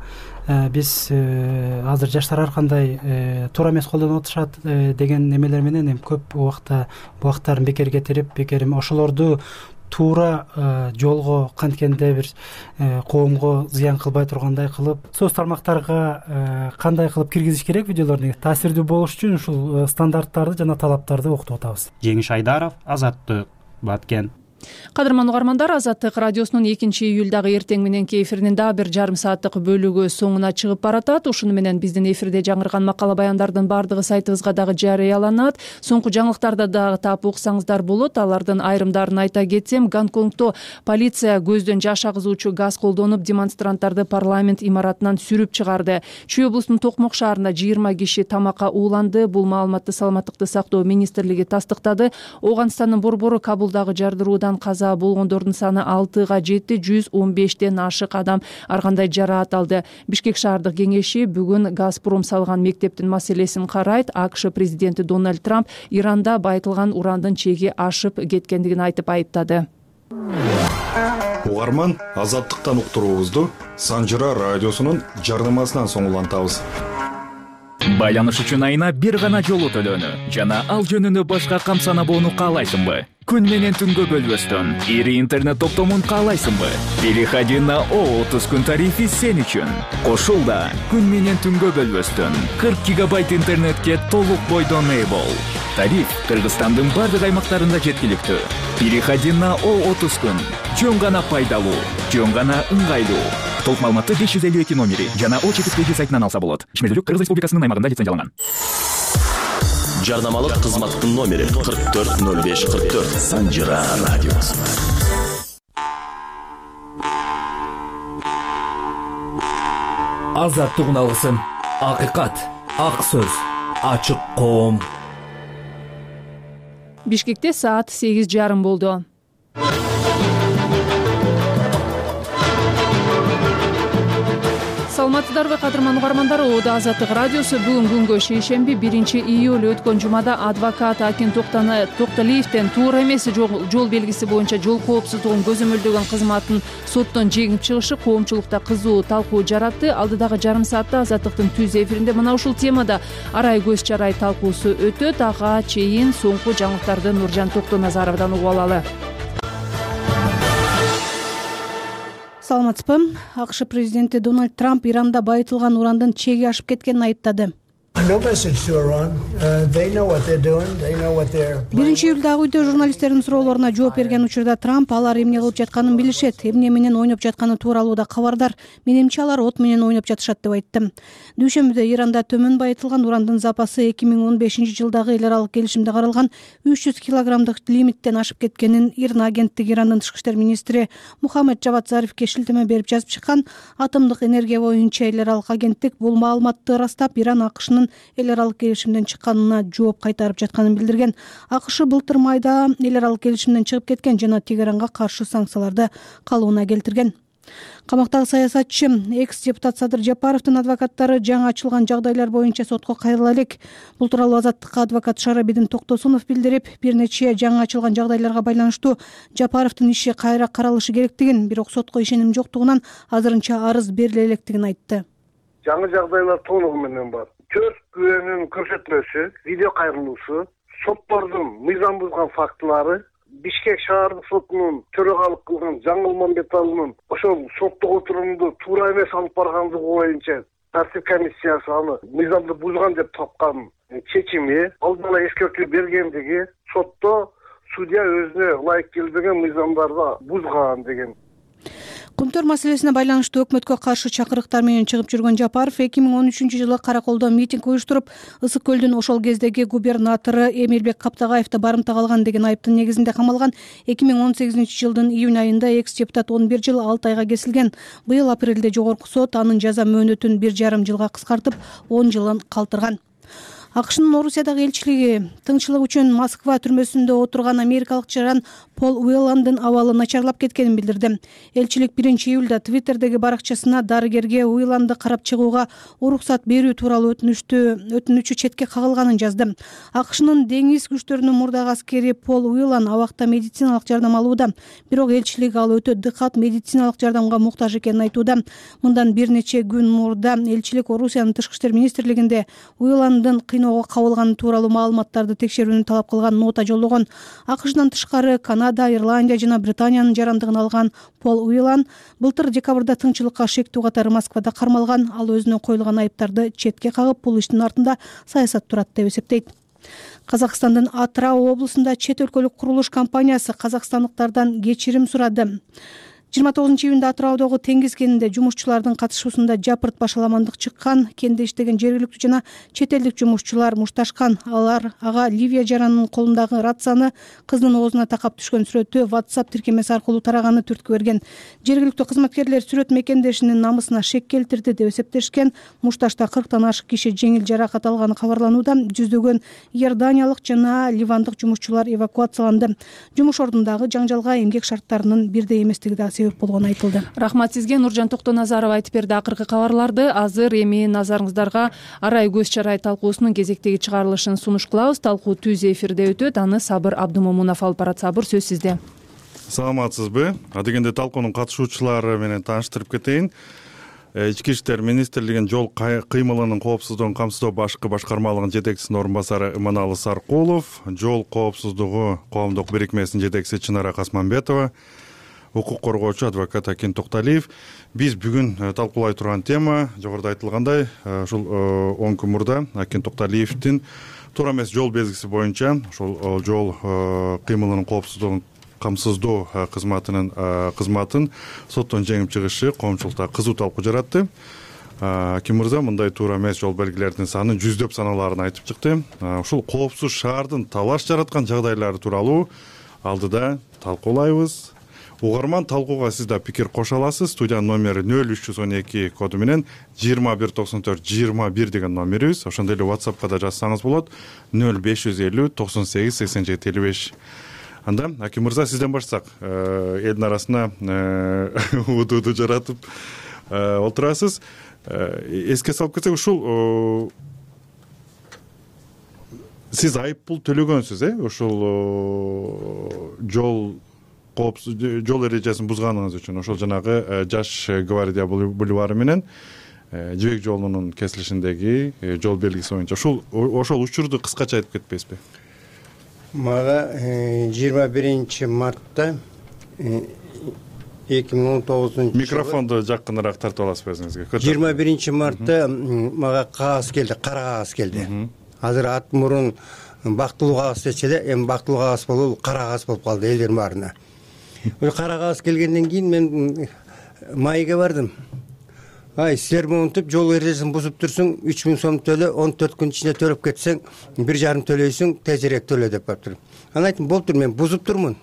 [SPEAKER 23] биз азыр жаштар ар кандай туура эмес колдонуп атышат деген эмелер менен көп убакыттарын бекер кетирип, ошолорду туура жолго канткенде бир коомго зыян кылбай тургандай кылып, соц тармактарга кандай кылып киргизиш керек видеолорду таасирдүү болуш үчүн ушул стандарттарды жана талаптарды окутуп атабыз.
[SPEAKER 21] Жеңиш Айдаров, Азаттык, Баткен.
[SPEAKER 1] Кадырман угармандар, Азаттык радиосунун 2-июлдагы эртең мененки эфиринин дагы бир жарым сааттык бөлүгү соңуна чыгып баратат. Ушуну менен биздин эфирде жаңырган макала баяндардын бардыгы сайтыбызга дагы жарыяланат. Соңку жаңылыктарды дагы таап уксаңыздар болот. Алардын айрымдарын айта кетсем, Гонконгдо полиция көздөн жаш агызуучу газ колдонуп демонстранттарды парламент имаратынан сүрүп чыгарды. Чүй облусунун Токмок шаарында 20 киши тамакка ууланды. Бул маалыматты Саламаттыкты сактоо министрлиги тастыктады. Ооганстандын борбору Кабулдагы жардыруудан каза болгондордун саны 6-га жетти, 115ден ашык адам ар кандай жараат алды. Бишкек шаардык кеңеши бүгүн Газпром салган мектептин маселесин карайт. АКШ президенти Дональд Трамп Иранда байытылган урандын чеги ашып кеткендигин айтып айыптады.
[SPEAKER 24] Угарман, Азаттыктан уктуруубузду Санжыра радиосунун жарнамасынан соңулантабыз.
[SPEAKER 2] Байланыш үчүн айына бир гана жолу төлөнү жана ал жөнүндө башка кам санабоону каалайсыңбы? Күн менен түнгө бөлбөстөн ири интернет топтомун каалайсыңбы? Переходи на О30 күн тарифи сен үчүн. Кошулда күн менен түнгө бөлбөстөн 40 гигабайт интернетке толук бойдон ээ бол. Тариф Кыргызстандын бардык аймактарында жеткиликтүү. Переходи на О30 күн. Жөн гана пайдалуу, жөн гана ыңгайлуу. Толук маалыматты 552 номери жана О4 сайтынан алса болот. Ишмердүүлүк Кыргыз Республикасынын аймагында лицензияланган.
[SPEAKER 6] Жарнамалык кызматтын номери 440544 Санжира радиосу.
[SPEAKER 7] Азаттыгын алгысың. Акыйкат, ак сөз, ачык коом.
[SPEAKER 1] Бишкекте саат 8:30 болду. Саламатсыздарбы кадырман угармандар, Ода Азаттык радиосу бүгүн күнгө шейшемби 1-июль өткөн жумада адвокат Акин Токталиевден туура эмес жол белгиси боюнча жол коопсуздугун көзөмөлдөгөн кызматын соттон жеңип чыгышы коомчулукта кызуу талкуу жаратты. Алдыдагы жарым саатта Азаттыктын түз эфиринде мына ушул темада арай көз чарай талкуусу өтөт. Ага чейин соңку жаңылыктарды Нуржан Токтоназаровдон угуп алалы.
[SPEAKER 24] Саламатсызбы? АКШ президенти Дональд Трамп Иранда байытылган урандын чеги ашып кеткенин айыптады. 1-июлдагы үйдө журналисттердин суроолоруна жооп берген учурда Трамп алар эмне кылып жатканын билишет, эмне менен ойноп жатканы тууралуу да кабардар. Менимче алар от менен ойноп жатышат деп айтты. Дүйшөмбүдө Иранда төмөн байытылган урандын запасы 2015-жылдагы эл аралык келишимде каралган 300 килограммдык лимиттен ашып кеткенин ИРНА агенттиги Ирандын тышкы иштер министри Мухаммед Джавад Зарифке шилтеме берип жазып чыккан. Атомдук энергия боюнча эл аралык агенттик бул маалыматты ырастап Иран АКШнын эл аралык келишимден чыкканына жооп кайтарып жатканын билдирген. АКШ былтыр майда эл аралык келишимден чыгып кеткен жана Тегеранга каршы санкцияларды калууна келтирген. Камактагы саясатчы экс-депутат Садыр Жапаровдун адвокаттары жаңы ачылган жагдайлар боюнча сотко кайрыла элек. Бул тууралуу Азаттыкка адвокат Шарабидин Токтосунов билдирип, бир нече жаңы ачылган жагдайларга байланыштуу Жапаровдун иши кайра каралышы керектигин, бирок сотко ишеним жоктугунан азырынча арыз бериле электигин айтты.
[SPEAKER 25] Жаңы жагдайлар толугу менен бар. 4 күбөнүн көрсөтмөсү, видео кайрылуусу, соттордун мыйзам бузган фактылары, Бишкек шаардык сотунун төрагалык кылган Жаңыл Мамбеталынын ошол соттук отурумду туура эмес алып баргандыгы боюнча тартип комиссиясы аны мыйзамды бузган деп тапкан чечими, алдын ала эскертүү бергендиги, сотто судья өзүнө ылайык келбеген мыйзамдарды бузган деген.
[SPEAKER 24] Кумтөр маселесине байланыштуу өкмөткө каршы чакырыктар менен чыгып жүргөн Жапаров 2013-жылы Караколдо митинг уюштуруп, Ысык көлдүн ошол кездеги губернатору Эмилбек Каптагаевди барымтага алган деген айыптын негизинде камалган. 2018-жылдын июнь айында экс-депутат 11 жыл 6 айга кесилген. Быйыл апрелде жогорку сот анын жаза мөөнөтүн 1,5 жылга кыскартып, 10 жылын калтырган. АКШнын Орусиядагы элчилиги тынччылык үчүн Москва түрмөсүндө отурган америкалык жаран Пол Уэлландын абалы начарлап кеткенин билдирди. Элчилик 1-июлда Твиттердеги баракчасына дарыгерге Уэлланды карап чыгууга уруксат берүү тууралуу өтүнүчү четке кагылганын жазды. АКШнын деңиз күчтөрүнүн мурдагы аскери Пол Уэллан абакта медициналык жардам алууда, бирок элчилик ал өтө дыкат медициналык жардамга муктаж экенин айтууда. Мындан бир нече күн мурда элчилик Орусиянын тышкы иштер министрлигинде Уэлландын кыйноого кабылганы тууралуу маалыматтарды текшерүүнү талап кылган нота жолдогон. АКШдан тышкары Канада, Ирландия жана Британиянын жарандыгын алган Пол Уэллан былтыр декабрда тынччылыкка шектүү катары Москвада кармалган. Ал өзүнө коюлган айыптарды четке кагып, бул иштин артында саясат турат деп эсептейт. Казакстандын Атырау облусунда чет өлкөлүк курулуш компаниясы казакстандыктардан кечирим сурады. 29-июнда Атыраудагы Теңиз кенинде жумушчулардын катышуусунда жапырт башаламандык чыккан. Кенде иштеген жергиликтүү жана чет элдик жумушчулар мушташкан. Алар ага Ливия жаранынын колундагы рацияны кыздын оозуна такап түшкөн сүрөтү WhatsApp тиркемеси аркылуу тараганы түрткү берген. Жергиликтүү кызматкерлер сүрөт мекендешинин намысына шек келтирди деп эсептешкен. Мушташта 40тан ашык киши жеңил жаракат алганы кабарланууда. Жүздөгөн иорданиялык жана ливандык жумушчулар эвакуацияланды. Жумуш ордундагы жаңжалга эмгек шарттарынын бирдей эместиги да себеп болгону айтылды.
[SPEAKER 1] Рахмат сизге, Нуржан Токтоназаров айтып берди акыркы кабарларды. Азыр эми назарыңыздарга арай көз чарай талкуусунун кезектеги чыгарылышын сунуш кылабыз. Талкуу түз эфирде өтөт. Аны Сабыр Абдумомунов алып барат. Сабыр, сөз сизде.
[SPEAKER 26] Саламатсызбы? Адегенде талкуунун катышуучулары менен тааныштырып кетейин.
[SPEAKER 8] Ички иштер министрлигинин жол кыймылынын коопсуздугун камсыздоо башкы башкармалыгынын жетекчисинин орун басары Иманалы Саркулов, жол коопсуздугу коомдук бирикмесинин жетекчиси Чынара Касманбетова, укук коргоочу адвокат Акин Токталиев. Биз бүгүн талкуулай турган тема жогоруда айтылгандай ушул 10 күн мурда Акин Токталиевдин туура эмес жол белгиси боюнча ошол жол кыймылынын коопсуздугун камсыздоо кызматын соттон жеңип чыгышы коомчулукта кызуу талкуу жаратты. Аким мырза мындай туура эмес жол белгилердин санын жүздөп саналарын айтып чыкты. Ушул коопсуз шаардын талаш жараткан жагдайлары тууралуу алдыда талкуулайбыз. Угарман талкууга сиз да пикир кошо аласыз. Студиянын номери 0312 коду менен 2194-21 деген номерибиз. Ошондой эле WhatsAppка да жазсаңыз болот. 0550 98 87 55. Анда Аким мырза сизден баштасак, элдин арасына удууду жаратып отурасыз. Эске салып кетсек, ушул сиз айып пул төлөгөнсүз, ушул жол эрежесин бузганыңыз үчүн. Ошол жанагы Жаш гвардия бульвары менен Жибек жолунун кесилишиндеги жол белгиси боюнча. Ошол учурду кыскача айтып кетпейсизби?
[SPEAKER 9] Мага 21 мартта 2019
[SPEAKER 8] микрофонду жакыныраак тартып аласызбы өзүңүзгө?
[SPEAKER 9] 21 мартта мага кагаз келди, кара кагаз келди. Азыр ат мурун бактылуу кагаз дечи эле, эми бактылуу кагаз болуп, кара кагаз болуп калды элдердин баарына. Ошо кара кагаз келгенден кийин мен майга бардым. Силер монтип жол эрежесин бузуп турсуң, 3000 сом төлө, 14 күн ичинде төлөп кетсең, 1,5 төлөйсүң, тезирээк төлө деп калыптыр. Анан айттым, болуптур, мен бузуп турмун.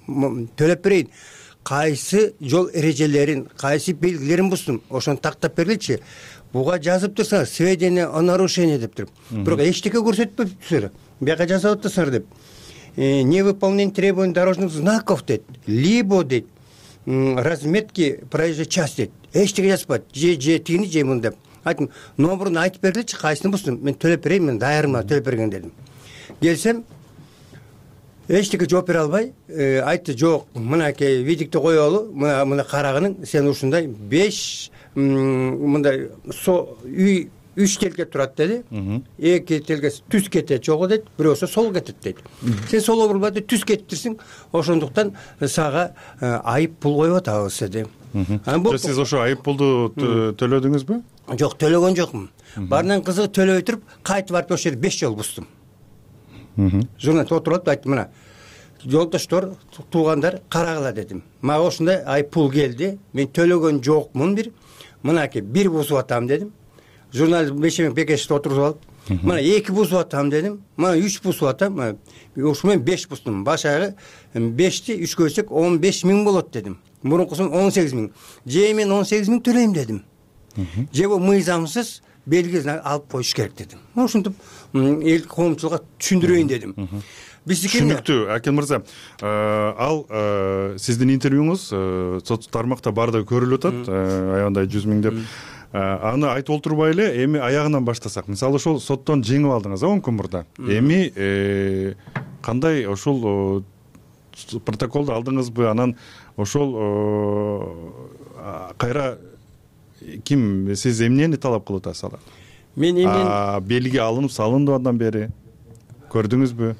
[SPEAKER 9] Төлөп берейин. Кайсы жол эрежелерин, кайсы белгилерин буздум, ошону тактап бергилчи. Буга жазып турсаңыз, сведения о нарушении деп туруп. Бирок эчтеке көрсөтпөптүр. Бияка жазып атасыңар деп. Невыполнение требований дорожных знаков дейт, либо дейт, разметки проезжей части дейт. Эчтеке жазбайт. Же тигини, же муну деп. Айттым, номерун айтып бергилчи, кайсыны буздум. Мен төлөп берейин, мен даярмын, төлөп берген дедим. Келсем, эчтеке жооп бере албай, айтты, жок, мынакей видикти коелу, мына карагының, сен ушундай 5 мындай үй 3 телге турат деди. 2 телге түз кетет жогу дейт, бирөөсү сол кетет дейт. Сен сол бурбайды, түз кетиптирсиң, ошондуктан сага айып пул коюп атабыз деди.
[SPEAKER 8] Сиз ошо айып пулду төлөдүңүзбү?
[SPEAKER 9] Жок, төлөгөн жокмун. Барынан кызыгы төлөбөй туруп, кайтып барып ошол жерде 5 жол буздум. Журналист отуруп айттым, мына жолдоштор, туугандар карагыла дедим. Мага ошондой айып пул келди. Мен төлөгөн жокмун бир. Мынакей 1 бузуп атам дедим. Журналист бешеме бекеште отуруп алып, мына 2 бузуп атам дедим. Мына 3 бузуп атам. Ошо мен 5 буздум. Башагы 5ти 3 көйсөк 15.000 болот дедим. Мурункусун 18.000. Же мен 18.000 төлөйм дедим. Же бул мыйзамсыз белгисин алып коюш керек дедим. Ошентип эл коомчулукка түшүндүрөйүн дедим.
[SPEAKER 8] Түшүнүктүү, Акин мырза. Ал сиздин интервьюңуз социалдык тармакта баардыгы көрүлүп атат, аябандай 100.000 деп. Аны айтып олтурбай эле, эми аягынан баштасак. Мисалы ошол соттон жеңип алдыңыз, 10 күн мурда. Эми кандай ошол протоколду алдыңызбы? Анан ошол кайра ким, сиз эмнени талап кылып атасыз алар?
[SPEAKER 9] Мен эмнени
[SPEAKER 8] белги алынып салынды андан бери көрдүңүзбү?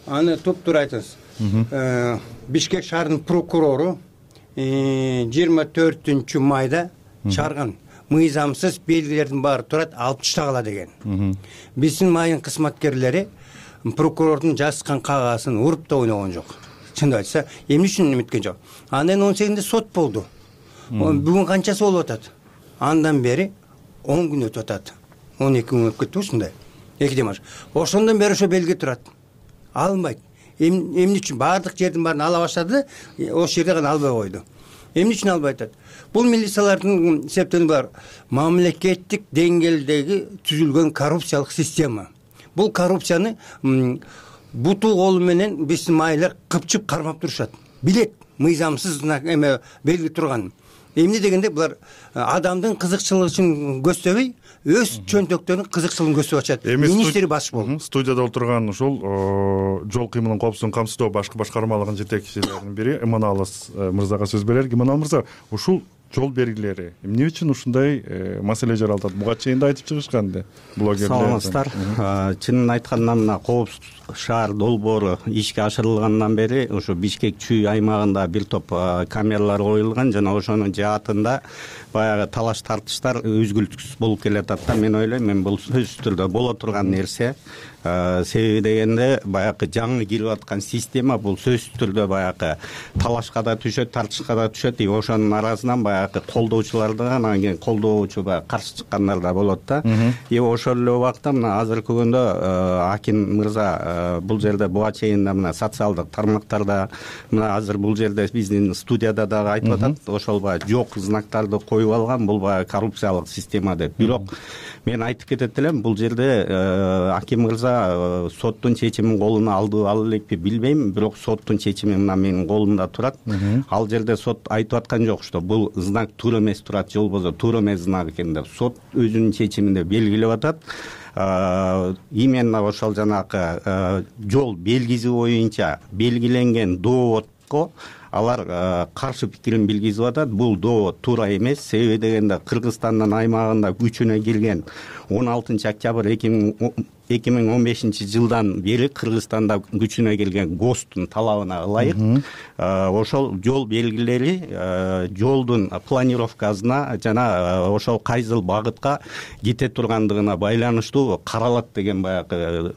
[SPEAKER 9] Аны туп-туура айтыңыз. Бишкек шаарынын прокурору 24 майда чыгарган мыйзамсыз белгилердин баары турат, алып таштагыла деген. Биздин майын кызматкерлери прокурордун жазган кагазын уруп да ойногон жок. Чындап айтса, эмне үчүн эметкен жок. Андан 18-нде сот болду. Бүгүн канчасы болуп атат? Андан бери 10 күн өтүп атат. 12 күн өтүп кетти ушундай. 2 демаш. Ошондон бери ошо белги турат. Алынбайт. Эмне үчүн баардык жердин баарын ала баштады, ошол жерде гана албай койду. Эмне үчүн албай атат? Бул милициялардын септени бар. Мамлекеттик деңгээлдеги түзүлгөн коррупциялык система. Бул коррупцияны буту колу менен биздин майылар кыпчып кармап турушат. Билет, мыйзамсыз эме белги турган. Эмне дегенде булар адамдын кызыкчылыгы үчүн көздөбөй, өз чөнтөктөрүнүн кызыкчылыгын көздөп ачат. Министри баш болуп.
[SPEAKER 8] Студияда отурган ушул жол кыймылынын коопсуздугун камсыздоо башкы башкармалыгынын жетекчилеринин бири Иманалы мырзага сөз берелик. Иманалы мырза, ушул жол белгилери эмне үчүн ушундай маселе жаралат? Буга чейин да айтып чыгышкан эле блогерлер.
[SPEAKER 3] Саламатсыздар. Чынын айтканда мына коопсуз шаар долбоору ишке ашырылгандан бери ошо Бишкек Чүй аймагында бир топ камералар коюлган жана ошонун жаатында баягы талаш тартыштар үзгүлтүксүз болуп келатат да. Мен ойлойм, бул сөзсүз түрдө боло турган нерсе. Себеби дегенде баягы жаңы кирип аткан система бул сөзсүз түрдө баягы талашка да түшөт, тартышка да түшөт. Ошонун арасынан баягы колдоочулар да, анан кийин колдоочу каршы чыккандар да болот да. Ошол эле убакта мына азыркы күндө Аким мырза бул жерде буга чейин да мына социалдык тармактарда мына азыр бул жерде биздин студияда дагы айтып атат. Ошол баягы жок знактарды коюп алган, бул баягы коррупциялык система деп. Бирок мен айтып кетет элем, бул жерде Аким мырза соттун чечимин колуна алдыбы ала элекпи билбейм, бирок соттун чечими мына менин колумда турат. Ал жерде сот айтып аткан жок, что бул знак туура эмес турат, же болбосо туура эмес знак экен деп. Сот өзүнүн чечиминде белгилеп атат. Именно ошол жанагы жол белгиси боюнча белгиленген доводко алар каршы пикирин билгизип атат. Бул довод туура эмес. Себеби дегенде Кыргызстандын аймагында күчүнө кирген 16 октябрь 2015 жылдан бери Кыргызстанда күчүнө келген ГОСТтун талабына ылайык ошол жол белгилери жолдун планировкасына жана ошол кайсыл багытка кете тургандыгына байланыштуу каралат деген баягы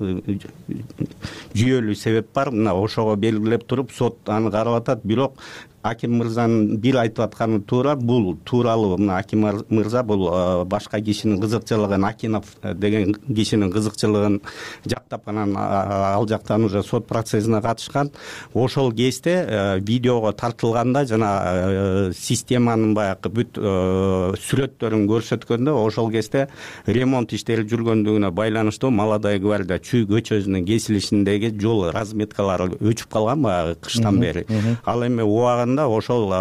[SPEAKER 3] жүйөлүү себеп бар. Мына ошого белгилеп туруп сот аны карап атат. Бирок Аким мырзанын бир айтып атканы туура. Бул тууралуу мына Аким мырза бул башка кишинин кызыкчылыгын, Акинов деген кишинин кызыкчылыгын жактап, анан ал жактан уже сот процессине катышкан. Ошол кезде видеого тартылганда жана системанын баягы бүт сүрөттөрүн көрсөткөндө ошол кезде ремонт иштери жүргөндүгүнө байланыштуу Молодая гвардия Чүй көчөсүнүн кесилишиндеги жол разметкалары өчүп калган баягы кыштан бери. Ал эми убагында ошол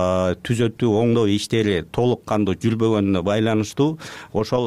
[SPEAKER 3] түзөтүү оңдоо иштери толук кандуу жүрбөгөнүнө байланыштуу ошол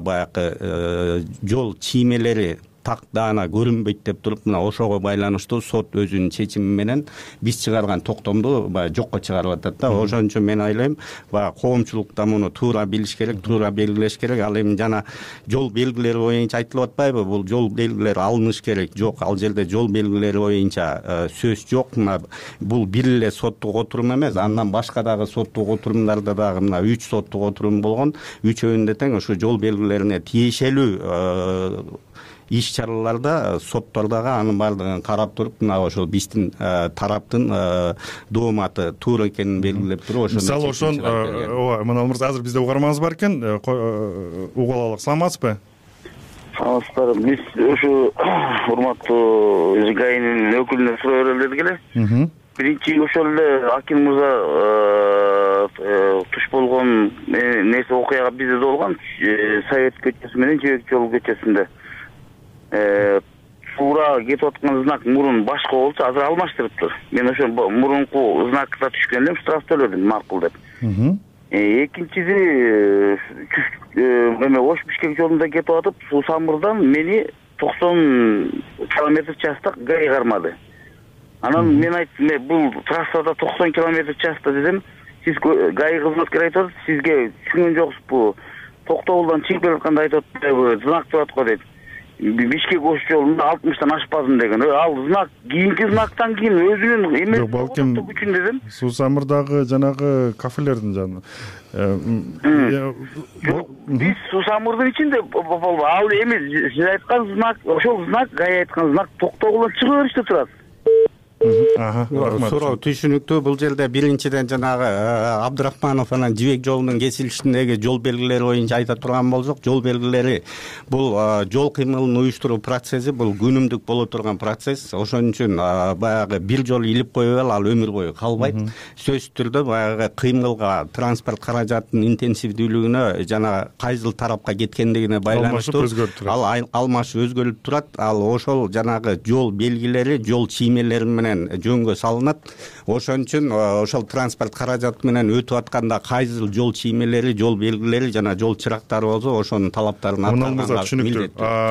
[SPEAKER 3] баягы жол чиймелери так даана көрүнбөйт деп туруп, мына ошого байланыштуу сот өзүнүн чечими менен биз чыгарган токтомду баягы жокко чыгарып атат да. Ошон үчүн мен ойлойм, баягы коомчулукта муну туура билиш керек, туура белгилеш керек. Ал эми жана жол белгилери боюнча айтылып атпайбы? Бул жол белгилери алыныш керек. Жок, ал жерде жол белгилери боюнча сөз жок. Мына бул бир эле соттук отурум эмес, андан башка дагы соттук отурумдарда дагы мына 3 соттук отурум болгон. Үчөөндө тең ошо жол белгилерине тиешелүү иш-чараларда соттордогу анын баардыгын карап туруп, мына ошол биздин тараптын дооматы туура экенин белгилеп туруп, ошо
[SPEAKER 8] мисалы ошон ооба, мына мырза азыр бизде угарманыбыз бар экен, угуп алалык. Саламатсызбы?
[SPEAKER 10] Саламатсыздар. Биз ушу урматтуу ГАИнин өкүлүнө суроо берели дедик эле. Биринчи ошол эле Аким мырза туш болгон нерсе окуяга бизде да болгон. Совет көчөсү менен Жэбек жол көчөсүндө туура кетип аткан знак мурун башка болчу, азыр алмаштырыптыр. Мен ошо мурунку знакта түшкөн элем, штраф төлөдүм, макул деп. Экинчиси эме Ош Бишкек жолунда кетип атып, Суу Самырдан мени 90 км/часта ГАИ кармады. Анан мен айттым, бул трассада 90 км/часта дедим. Сиз ГАИ кызматкери айтып атат, сизге түшүнгөн жоксузбу? Токтогулдан чыгып келатканда айтып атпайбы, знак турат го дейт. Бишкек Ош жолунда 60тан ашпадым деген. Ал знак кийинки знактан кийин өзүнүн эмес үчүн дедим.
[SPEAKER 8] Суу Самырдагы жанагы кафелердин жаны.
[SPEAKER 10] Биз Суу Самырдын ичинде болбойбу. Ал эми сиз айткан знак, ошол знак ГАИ айткан знак Токтогулдан чыга бериште турат.
[SPEAKER 3] Суроо түшүнүктүү. Бул жерде биринчиден жанагы Абдрахманов анан Жибек жолунун кесилишиндеги жол белгилери боюнча айта турган болсок, жол белгилери бул жол кыймылын уюштуруу процесси, бул күнүмдүк боло турган процесс. Ошон үчүн баягы бир жолу илип коюп ал өмүр бою калбайт. Сөзсүз түрдө баягы кыймылга, транспорт каражатынын интенсивдүүлүгүнө жана кайсыл тарапка кеткендигине байланыштуу ал алмашып өзгөрүп турат. Ал ошол жанагы жол белгилери, жол чиймелери менен менен жөнгө салынат. Ошон үчүн ошол транспорт каражаты менен өтүп атканда кайсыл жол чиймелери, жол белгилери жана жол чырактары болсо ошонун талаптарын
[SPEAKER 8] аткарганга түшүнүктүү.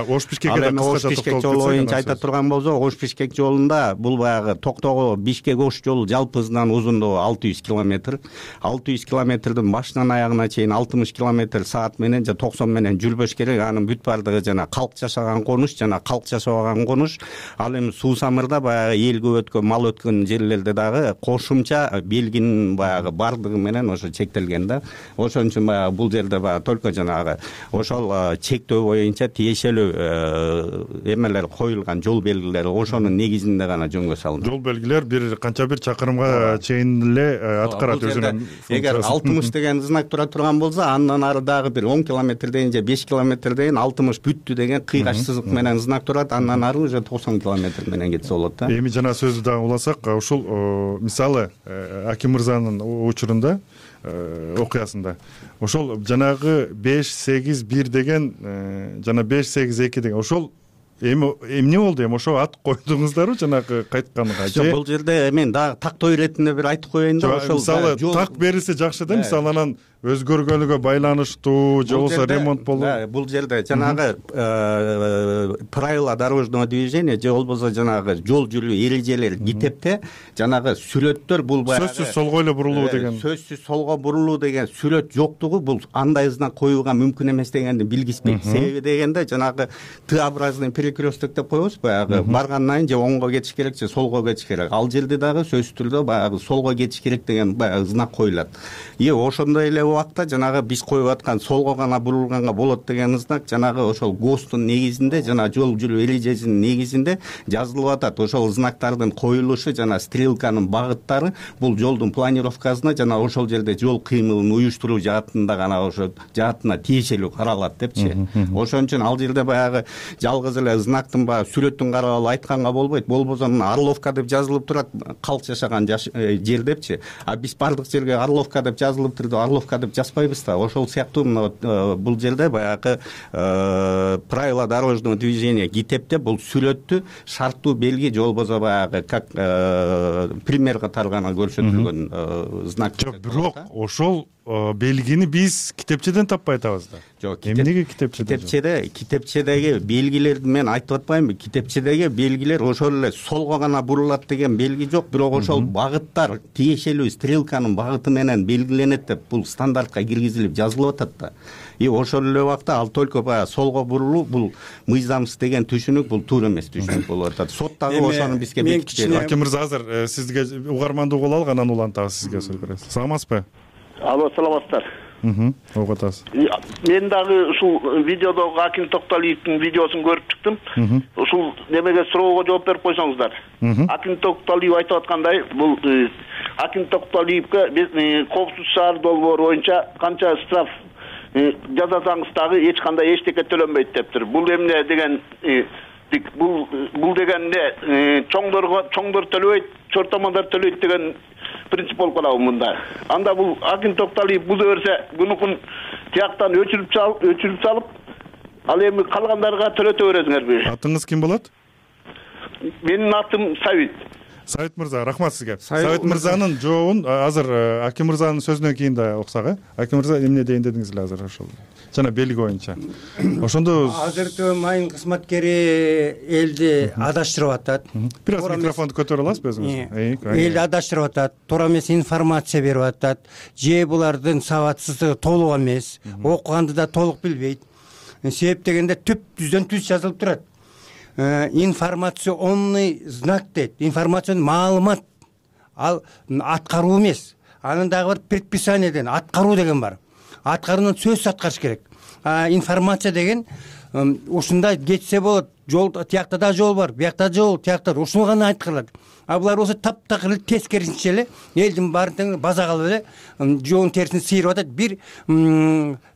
[SPEAKER 8] Ош-Бишкекке да кыскача
[SPEAKER 3] Ош-Бишкек жолу боюнча айта турган болсок, Ош-Бишкек жолунда бул баягы Токтогул Бишкек-Ош жолу жалпысынан узундугу 600 километр. 600 километрдин башынан аягына чейин 60 километр саат менен же 90 менен жүрбөш керек. Анын бүт бардыгы жана калк жашаган конуш жана калк жашабаган конуш. Ал эми суу самырда баягы эл көп өткөн, мал өткөн жерлерде дагы кошумча белгинин баягы бардыгы менен ошо чектелген да. Ошон үчүн баягы бул жерде баягы только жанагы ошол чектөө боюнча тиешелүү эмелер коюлган, жол белгилери ошонун негизинде гана жөнгө салынат.
[SPEAKER 8] Жол белгилер бир канча бир чакырымга чейин эле аткарат өзүнүн.
[SPEAKER 3] Эгер 60 деген знак тура турган болсо, андан ары дагы бир 10 километрден же 5 километрден 60 бүттү деген кыйгач сызык менен знак турат. Андан ары уже 90 километр менен кетсе болот да.
[SPEAKER 8] Эми жана сөздү дагы уласак, ушул мисалы Аким мырзанын учурунда окуясында ошол жанагы 581 деген жана 582 деген ошол эми эмне болду? Эми ошо ат койдуңуздарбы жанагы кайтканга же?
[SPEAKER 3] Бул жерде мен дагы тактоо иретинде бир айтып коеюн да.
[SPEAKER 8] Ошол мисалы так берилсе жакшы да. Мисалы анан өзгөргөнүгө байланыштуу же болбосо ремонт болуп.
[SPEAKER 3] Бул жерде жанагы правила дорожного движения же болбосо жанагы жол жүрүү эрежелери китепте жанагы сүрөттөр бул баягы
[SPEAKER 8] сөзсүз солго эле бурулуу деген.
[SPEAKER 3] Сөзсүз солго бурулуу деген сүрөт жоктугу бул андай знак коюуга мүмкүн эмес дегенди билгизбейт. Себеби дегенде жанагы Т-образный перекресток деп коебуз, баягы баргандан кийин же оңго кетиш керек же солго кетиш керек. Ал жерде дагы сөзсүз түрдө баягы солго кетиш керек деген баягы знак коюлат. Ошондой эле убакта жанагы биз коюп аткан солго гана бурулганга болот деген знак жанагы ошол ГОСТун негизинде жана жол жүрүү эрежесинин негизинде жазылып атат. Ошол знактардын коюлушу жана стрелканын багыттары бул жолдун планировкасына жана ошол жерде жол кыймылын уюштуруу жаатында гана ошо жаатына тиешелүү каралат депчи. Ошон үчүн ал жерде баягы жалгыз эле знактын баягы сүрөтүн карап алып айтканга болбойт. Болбосо Орловка деп жазылып турат, калк жашаган жер депчи. А биз бардык жерге Орловка деп жазылып турду, Орловка деп жазбайбыз да. Ошол сыяктуу бул жерде баягы правила дорожного движения китепте бул сүрөттү шарттуу белги же болбосо баягы как пример катары гана көрсөтүлгөн знак.
[SPEAKER 8] Жок, бирок ошол белгини биз китепчеден таппай атабыз да.
[SPEAKER 3] Жок,
[SPEAKER 8] эмнеге китепчеде?
[SPEAKER 3] Китепчедеги белгилерди мен айтып атпаймынбы? Китепчедеги белгилер ошол эле солго гана бурулат деген белги жок, бирок ошол багыттар тиешелүү стрелканын багыты менен белгиленет деп бул стандартка киргизилип жазылып атат да. Ошол эле убакта ал только баягы солго бурулуу бул мыйзамсыз деген түшүнүк, бул туура эмес түшүнүк болуп атат. Сот дагы ошону бизге бекитип берди.
[SPEAKER 8] Аким мырза, азыр сизге угармандуу боло алган, анан улантабыз сизге сөз беребиз. Саламатсызбы?
[SPEAKER 4] Алло, саламатсыздар.
[SPEAKER 8] Угуп атасыз.
[SPEAKER 4] Мен дагы ушул видеодогу Аким Токталиевдин видеосун көрүп чыктым. Ушул немеге суроого жооп берип койсоңуздар. Аким Токталиев айтып аткандай, бул Аким Токталиевге биз коопсуз шаар долбоору боюнча канча штраф жазасаңыз дагы эч кандай эчтеке төлөнбөйт дептир. Бул эмне деген бул дегенде чоңдор төлөбөйт, чортомондар төлөйт деген принцип болуп калабы мында. Анда бул Аким Токталиев буза берсе, бунукун тияктан өчүрүп салып, ал эми калгандарга төлөтө бересиңерби?
[SPEAKER 8] Атыңыз ким болот?
[SPEAKER 4] Менин атым Сабит.
[SPEAKER 8] Сабит мырза, рахмат сизге. Сабит мырзанын жообун азыр Аким мырзанын сөзүнөн кийин да уксак, Аким мырза эмне дейин дедиңиз эле азыр ошол жана белги боюнча. Ошондо
[SPEAKER 9] азыркы майын кызматкери элди адаштырып атат.
[SPEAKER 8] Бир аз микрофонду көтөрө аласызбы өзүңүз?
[SPEAKER 9] Элди адаштырып атат, туура эмес информация берип атат. Же булардын сабатсыздыгы толук эмес, окуганды да толук билбейт. Себеп дегенде түп түздөн түз жазылып турат. Информационный знак дейт. Информационный маалымат. Ал аткаруу эмес. Анын дагы бир предписаниеден аткаруу деген бар. Аткарууну сөзсүз аткарыш керек. Информация деген ушундай кетсе болот. Жол тиякта да жол бар, биякта жол, тиякта ушуну гана айткырылат. А булар болсо таптакыр эле тескерисинче эле элдин баарын база кылып эле жоонун терисин сыйрып атат. Бир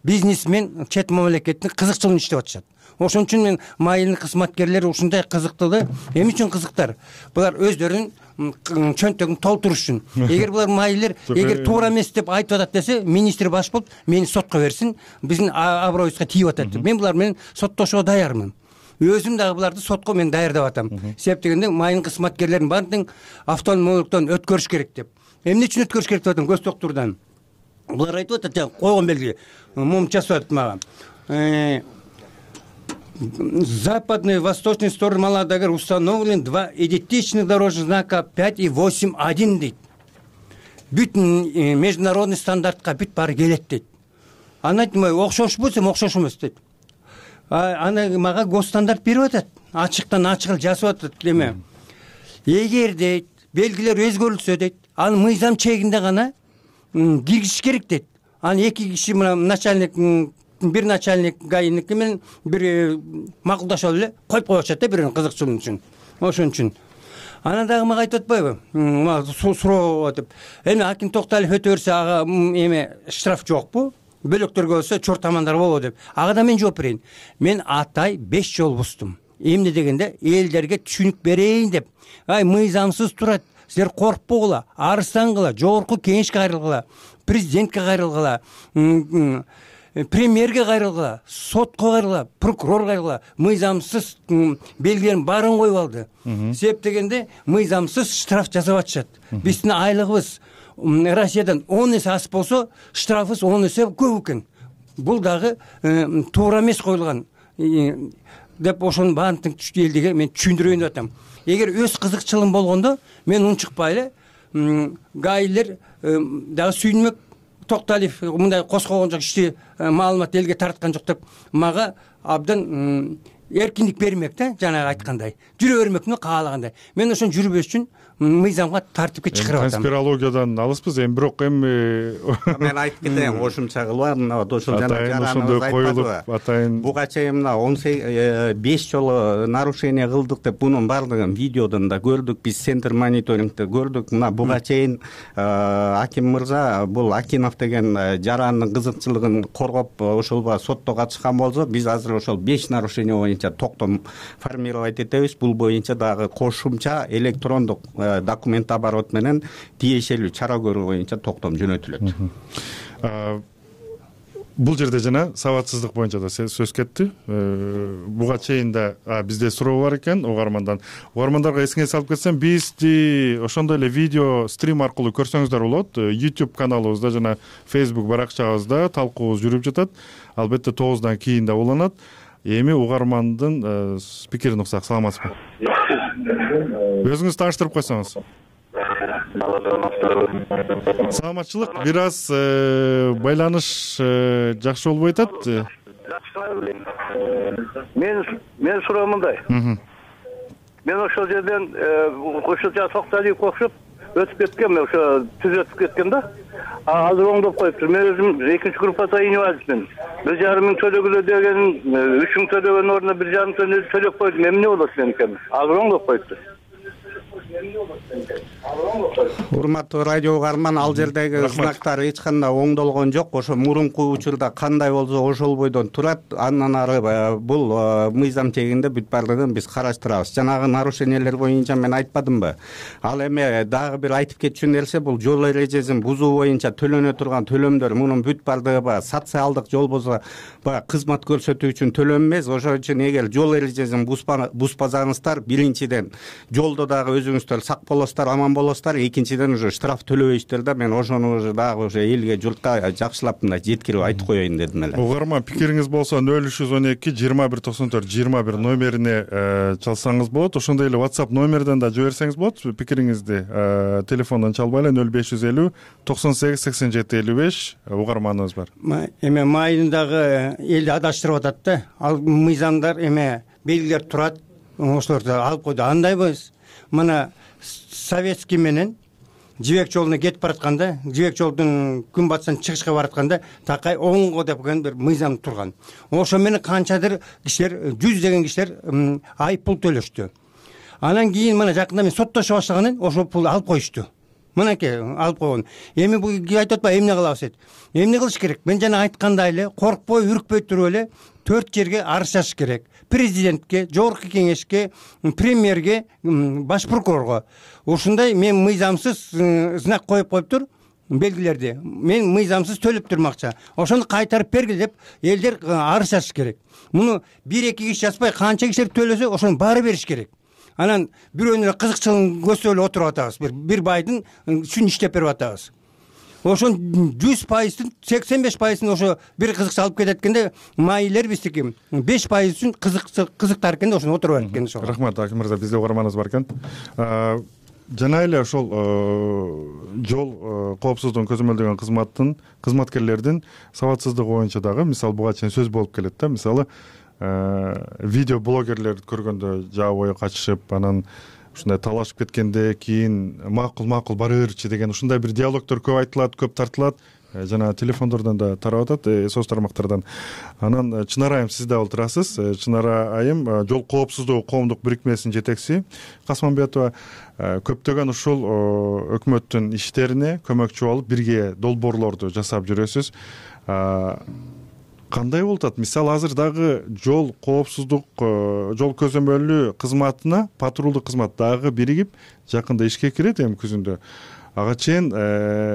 [SPEAKER 9] бизнесмен чет мамлекеттин кызыкчылыгын иштеп атышат. Ошон үчүн мен майылдын кызматкерлери ушундай кызыктылы. Эмне үчүн кызыктар? Булар өздөрүнүн чөнтөгүн толтуруш үчүн. Эгер булар майылдар эгер туура эмес деп айтып атат десе, министр баш болуп мени сотко берсин, биздин аброюбузга тийип атат. Мен булар менен соттошууга даярмын. өзүм дагы буларды сотко мен даярдап атам. Себеп дегенде майын кызматкерлерин баардыгын автономдуктан өткөрүш керек деп. Эмне үчүн өткөрүш керек деп атам көз доктурдан. Булар айтып атат, жана койгон белги. Мом жасап атат мага. Западной и восточной стороны Маладагар установлен 2 идентичных дорожных знака 5 и 8.1 дейт. Бүт международный стандартка бүт баары келет дейт. Аны айтып, окшошпу десем окшош эмес дейт. Аны мага госстандарт берип атат. Ачыктан ачык жазып атат эме. Эгер дейт, белгилер өзгөрүлсө дейт, аны мыйзам чегинде гана киргизиш керек дейт. Аны 2 киши начальник, бир начальник ГАИники менен бир макулдашып эле коюп коюшат да бирөөнүн кызыкчылыгы үчүн. Ошон үчүн. Ана дагы мага айтып атпайбы? Суроо деп. Эми Аким Токталиев өтө берсе ага эме штраф жокпу? Бөлөктөргө болсо чортамандар болобу деп. Ага да мен жооп берейин. Мен атай 5 жол буздум. Эмне дегенде элдерге түшүнүк берейин деп. Мыйзамсыз турат. Силер коркпогула, арызсангыла, жогорку кеңешке кайрылгыла, президентке кайрылгыла, премьерге кайрылгыла, сотко кайрылгыла, прокурор кайрылгыла. Мыйзамсыз белгилерин баарын коюп алды. Себеп дегенде мыйзамсыз штраф жасап атышат. Биздин айлыгыбыз Россиядан 10 эсе аз болсо, штрафыбыз 10 эсе көп экен. Бул дагы туура эмес коюлган деп ошонун баардык элдиге мен түшүндүрөйүн деп атам. Эгер өз кызыкчылыгым болгондо мен унчукпай эле ГАИлер дагы сүйүнмөк, Токталиев мындай коскогон жок, ишти маалымат элге тарткан жок деп мага абдан эркиндик бермек да, жанагы айткандай. Жүрө бермекмин каалагандай. Мен ошон жүрбөш үчүн мыйзамга тартипке чыгарып атам.
[SPEAKER 8] Конспирологиядан алыспыз, бирок
[SPEAKER 3] мен айтып кетейин, кошумча кылып, мына ошол жана жараныбыз айтпадыбы? Буга чейин мына 5 жолу нарушение кылдык деп бунун баардыгын видеодон да көрдүк, биз центр мониторингде көрдүк. Мына буга чейин Аким мырза бул Акинов деген жарандын кызыкчылыгын коргоп ошолго сотто катышкан болсо, биз азыр ошол 5 нарушение боюнча токтом формировать этебиз. Бул боюнча дагы кошумча электрондук документ оборот менен тиешелүү чара көрүү боюнча токтом жөнөтүлөт.
[SPEAKER 8] Бул жерде жана сабатсыздык боюнча да сөз кетти. Буга чейин да бизде суроо бар экен угармандан. Угармандарга эсиңе салып кетсем, бизди ошондой эле видео стрим аркылуу көрсөңүздөр болот. YouTube каналыбызда жана Facebook баракчабызда талкуубуз жүрүп жатат. Албетте 9-дан кийин да уланат. Эми угармандын пикирин уксак. Саламатсызбы? Өзүңүз тааныштырып койсоңуз. Саламатчылык, бир аз байланыш жакшы болбой атат.
[SPEAKER 25] Мен суроо мындай. Мен ошол жерден ошол Токталиев окшоп өтүп кеткен, ошо түз өтүп кеткен да. Азыр оңдоп коюптур. Мен өзүм 2-чи группада инвалидмин. 1,5 миң төлөгүлө деген 3 миң төлөгөн ордуна 1,5 миң төлөп койдум. Эмне болот меникем? Азыр оңдоп коюптур.
[SPEAKER 3] Урматтуу радио угарман, ал жердеги знактар эч кандай оңдолгон жок. Ошо мурунку учурда кандай болсо ошол бойдон турат. Андан ары бул мыйзам чегинде бүт баардыгын биз караштырабыз. Жанагы нарушениелер боюнча мен айтпадымбы? Ал эми дагы бир айтып кетчүн элсе, бул жол эрежесин бузуу боюнча төлөнө турган төлөмдөр, мунун бүт баардыгы социалдык жол болсо кызмат көрсөтүү үчүн төлөм эмес. Ошон үчүн эгер жол эрежесин бузбасаңыздар, биринчиден жолдо дагы өзүңүздөр сак болосуздар, аман болосуздар. Экинчиден уже штраф төлөбөйсүздөр да. Мен ошону уже дагы уже элге, журтка жакшылап мындай жеткирип айтып коеюн дедим эле.
[SPEAKER 8] Угарман, пикириңиз болсо 0312 2194 21 номерине чалсаңыз болот. Ошондой эле WhatsApp номерден да жиберсеңиз болот. Пикириңизди телефондон чалбай эле 0550 98 87 55 угарманыбыз бар.
[SPEAKER 9] Эме майын дагы элди адаштырып атат да. Ал мыйзамдар эме белгилер турат. Ошолорду алып койду. Андайбы? Мына Советский менен Жибек жолуна кетип баратканда, Жибек жолдун күн батышынан чыгышка баратканда такай оңго деген бир мыйзам турган. Ошо менен канчадыр кишилер, 100 кишилер айып пул төлөштү. Анан кийин мына жакында мен соттоша башлаганын ошо пулду алып коюшту. Мынакей алып койгон. Эми бул айтып атпайбы, эмне кылабыз дейт. Эмне кылыш керек? Мен жана айткандай эле коркпой, үркпөй туруп эле 4 жерге арыз жазыш керек. Президентке, жогорку кеңешке, премьерге, баш прокурорго. Ушундай мен мыйзамсыз знак коюп коюптур. белгилерди мен мыйзамсыз төлөп турмун акча, ошону кайтарып бергиле деп элдер арыз жазыш керек. Муну 1-2 киши жазбай канча кишилер төлөсө ошону баары бериш керек. Анан бирөөнүн кызыкчылыгын көздөп эле отуруп атабыз. Бир байдын үчүн иштеп берип атабыз. Ошон 100%, 85% ошо бир кызыкчы алып кетет экенде, майылер биздики 5% үчүн кызыктар экенде ошону отуруп берет экен. Ошо.
[SPEAKER 8] Рахмат, Аким мырза, бизде угарманыбыз бар экен. Жана эле ошол жол коопсуздугун көзөмөлдөгөн кызматтын кызматкерлердин сабатсыздыгы боюнча дагы мисалы буга чейин сөз болуп келет да. Мисалы видео блогерлерди көргөндө жаа бою качышып, анан ушундай талашып кеткенде кийин макул бара берчи деген ушундай бир диалогдор көп айтылат, көп тартылат. Жана телефондордон да тарап атат, соц тармактардан. Анан Чынара айым, сиз да олтурасыз. Чынара айым жол коопсуздугу коомдук бирикмесинин жетекчиси Касманбетова. Көптөгөн ушул өкмөттүн иштерине көмөкчү болуп, бирге долбоорлорду жасап жүрөсүз. Кандай болуп атат? Мисалы азыр дагы жол коопсуздук, жол көзөмөлү кызматына патрулдук кызмат дагы биригип жакында ишке кирет эми күзүндө. Ага чейин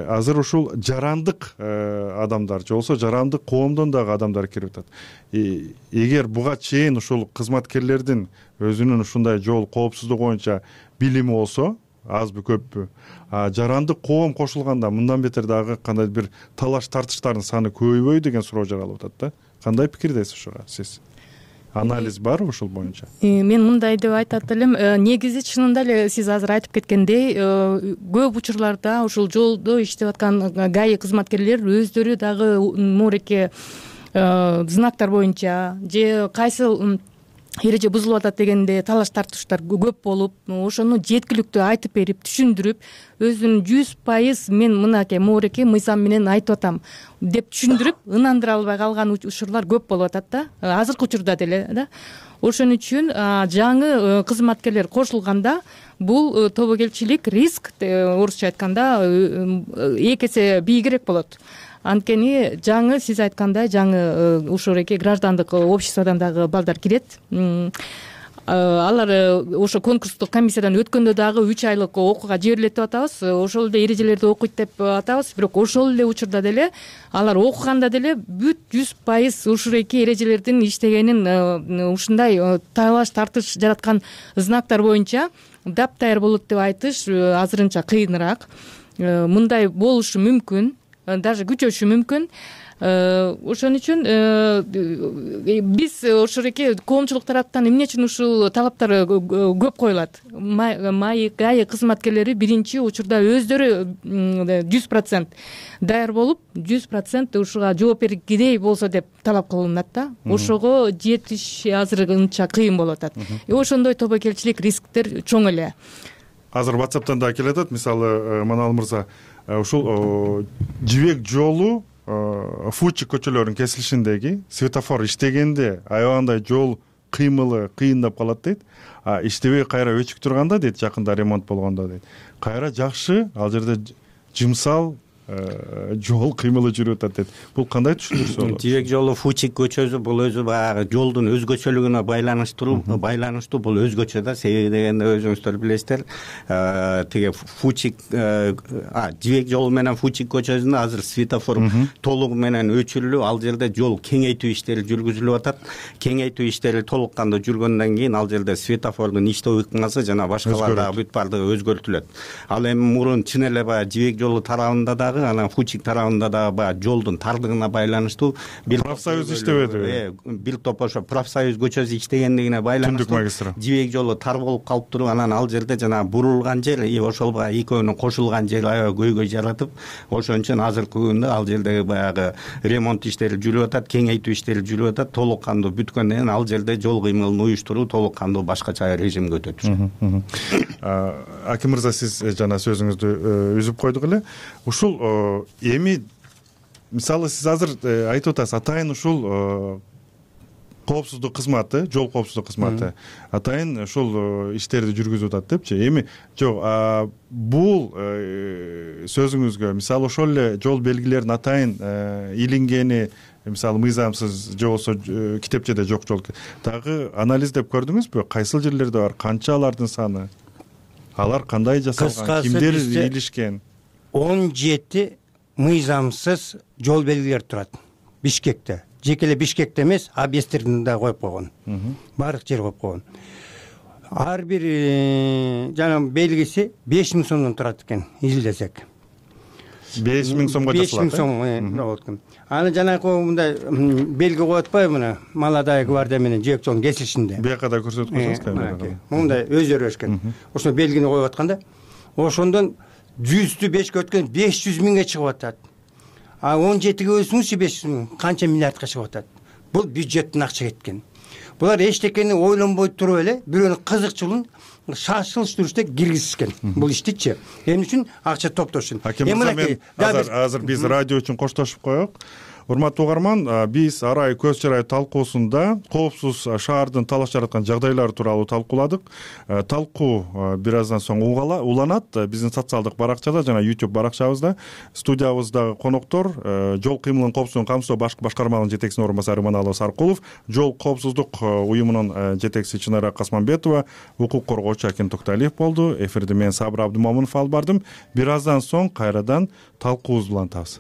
[SPEAKER 8] азыр ушул жарандык адамдар же болбосо жарандык коомдон дагы адамдар кирип атат. Эгер буга чейин ушул кызматкерлердин өзүнүн ушундай жол коопсуздугу боюнча билими болсо, азбы көппү, жарандык коом кошулганда мындан бетер дагы кандай бир талаш тартыштардын саны көбөйбөйбү деген суроо жаралып атат да. Кандай пикирдесиз ушуга сиз? Анализ барбы ушул боюнча?
[SPEAKER 11] Мен мындай деп айтат элем, негизи чынында эле сиз азыр айтып кеткендей, көп учурларда ушул жолдо иштеп аткан ГАИ кызматкерлер өздөрү дагы мууреке знактар боюнча же кайсы эреже бузулуп атат дегенде талаш тартыштар көп болуп, ошону жеткиликтүү айтып берип, түшүндүрүп, өзүнүн 100% мен мынакей мууреке мыйзам менен айтып атам деп түшүндүрүп, ынандыра албай калган учурлар көп болуп атат да, азыркы учурда деле да. Ошон үчүн жаңы кызматкерлер кошулганда бул тобокелчилик риск, орусча айтканда, 2 эсе бийигирээк болот. Анткени жаңы сиз айткандай жаңы ушуреке граждандык обществодон дагы балдар кирет. Алар ошо конкурстук комиссиядан өткөндө дагы 3 айлык окууга жиберилет деп атабыз. Ошол эле эрежелерди окуйт деп атабыз. Бирок ошол эле учурда деле алар окуганда деле бүт 100% ушуреке эрежелердин иштегенин, ушундай талаш тартыш жараткан знактар боюнча даптайыр болот деп айтыш азырынча кыйыныраак. Мындай болушу мүмкүн, даже күчөшү мүмкүн. Ошон үчүн биз ошореке коомчулук тараптан эмне үчүн ушул талаптар көп коюлат? ГАИ кызматкерлери биринчи учурда өздөрү 100% даяр болуп, 100% ушуга жооп бергидей болсо деп талап кылынат да. Ошого жетиш азырынча кыйын болуп атат. Ошондой тобокелчилик рисктер чоң эле.
[SPEAKER 8] Азыр WhatsApp'тан да келет атат. Мисалы, Манал мырза, ушул жибек жолу Фучик көчөлөрүнүн кесилишиндеги светофор иштегенде аябагандай жол кыймылы кыйындап калат дейт. Иштебей кайра өчүк турганда дейт, жакында ремонт болгондо дейт, кайра жакшы ал жерде жымсал жол кыймылы жүрүп атат дейт. Бул кандай түшүндүрсө болот?
[SPEAKER 3] Жибек жолу Фучик көчөсү бул өзү баягы жолдун өзгөчөлүгүнө байланыштуу, бул өзгөчө да. Себеби дегенде өзүңүздөр билесиздер, тиги Фучик жибек жолу менен Фучик көчөсүндө азыр светофор толугу менен өчүрүлүп, ал жерде жол кеңейтүү иштери жүргүзүлүп атат. Кеңейтүү иштери толук кандуу жүргөндөн кийин ал жерде светофордун иштөө ыкмасы жана башкалар дагы бүт бардыгы өзгөртүлөт. Ал эми мурун чын эле баягы жибек жолу тарабында дагы, анан Фучик тарабында дагы баягы жолдун тардыгына байланыштуу бир
[SPEAKER 8] профсоюз иштебеди.
[SPEAKER 3] Бир топ ошо профсоюз көчөсү иштегендигине байланыштуу жибек жолу тар болуп калып туруп, анан ал жерде жана бурулган жер, ошол баягы экөөнүн кошулган жери аябай көйгөй жаратып, ошон үчүн азыркы күндө ал жердеги баягы ремонт иштери жүрүп атат, кеңейтүү иштери жүрүп атат. Толук кандуу бүткөндөн кийин ал жерде жол кыймылын уюштуруу толук кандуу башкача режимге өтөт.
[SPEAKER 8] Аким мырза, сиз жана сөзүңүздү үзүп койдук эле. Ушул эми мисалы сиз азыр айтып атасыз, атайын ушул коопсуздук кызматы, жол коопсуздук кызматы атайын ушул иштерди жүргүзүп атат депчи. Эми жок, бул сөзүңүзгө мисалы ошол эле жол белгилеринин атайын илингени, мисалы мыйзамсыз же болбосо китепчеде жок жол дагы анализдеп көрдүңүзбү? Кайсыл жерлерде бар, канча алардын саны, алар кандай жасалган, кимдер илишкен?
[SPEAKER 9] 17 мыйзамсыз жол белгилер турат Бишкекте. Жеке эле Бишкекте эмес, объекттерин да коюп койгон. Баардык жер коюп койгон. Ар бир жанагы белгиси 5000 сомдон турат экен, изилдесек.
[SPEAKER 8] 5000 сомго жасалат.
[SPEAKER 9] 5000 сом болот экен. Аны жанагы мындай белги коюп атпайбы, мына Молодая гвардия менен Жээкчоң кесилишинде.
[SPEAKER 8] Бияка да көрсөтүп койсоңуз камерага.
[SPEAKER 9] Мындай өздөрү өчкөн. Ошо белгини коюп атканда, ошондон 100-тү 5-кө өткөн 500 миңге чыгып атат. А 17ге бөлсөңүзчү 500 миң канча миллиардка чыгып атат. Бул бюджеттин акча кеткен. Булар эчтекени ойлонбой туруп эле бирөөнүн кызыкчылыгын шашылыш түрүштө киргизишкен. Бул иштичи. Эмне үчүн акча топтош үчүн.
[SPEAKER 8] Азыр биз радио үчүн коштошуп коелук. Урматтуу угарман, биз арай көз чарай талкуусунда коопсуз шаардын талаш жараткан жагдайлары тууралуу талкууладык. Талкуу бир аздан соң уланат биздин социалдык баракчада жана YouTube баракчабызда. Студиябыздагы коноктор жол кыймылынын коопсуздугун камсыздоо башкармалыгынын жетекчисинин орун басары Иманалов Саркулов, жол коопсуздук уюмунун жетекчиси Чынара Касманбетова, укук коргоочу Акин Токталиев болду. Эфирди мен Сабыр Абдымомунов алып бардым. Бир аздан соң кайрадан талкуубузду улантабыз.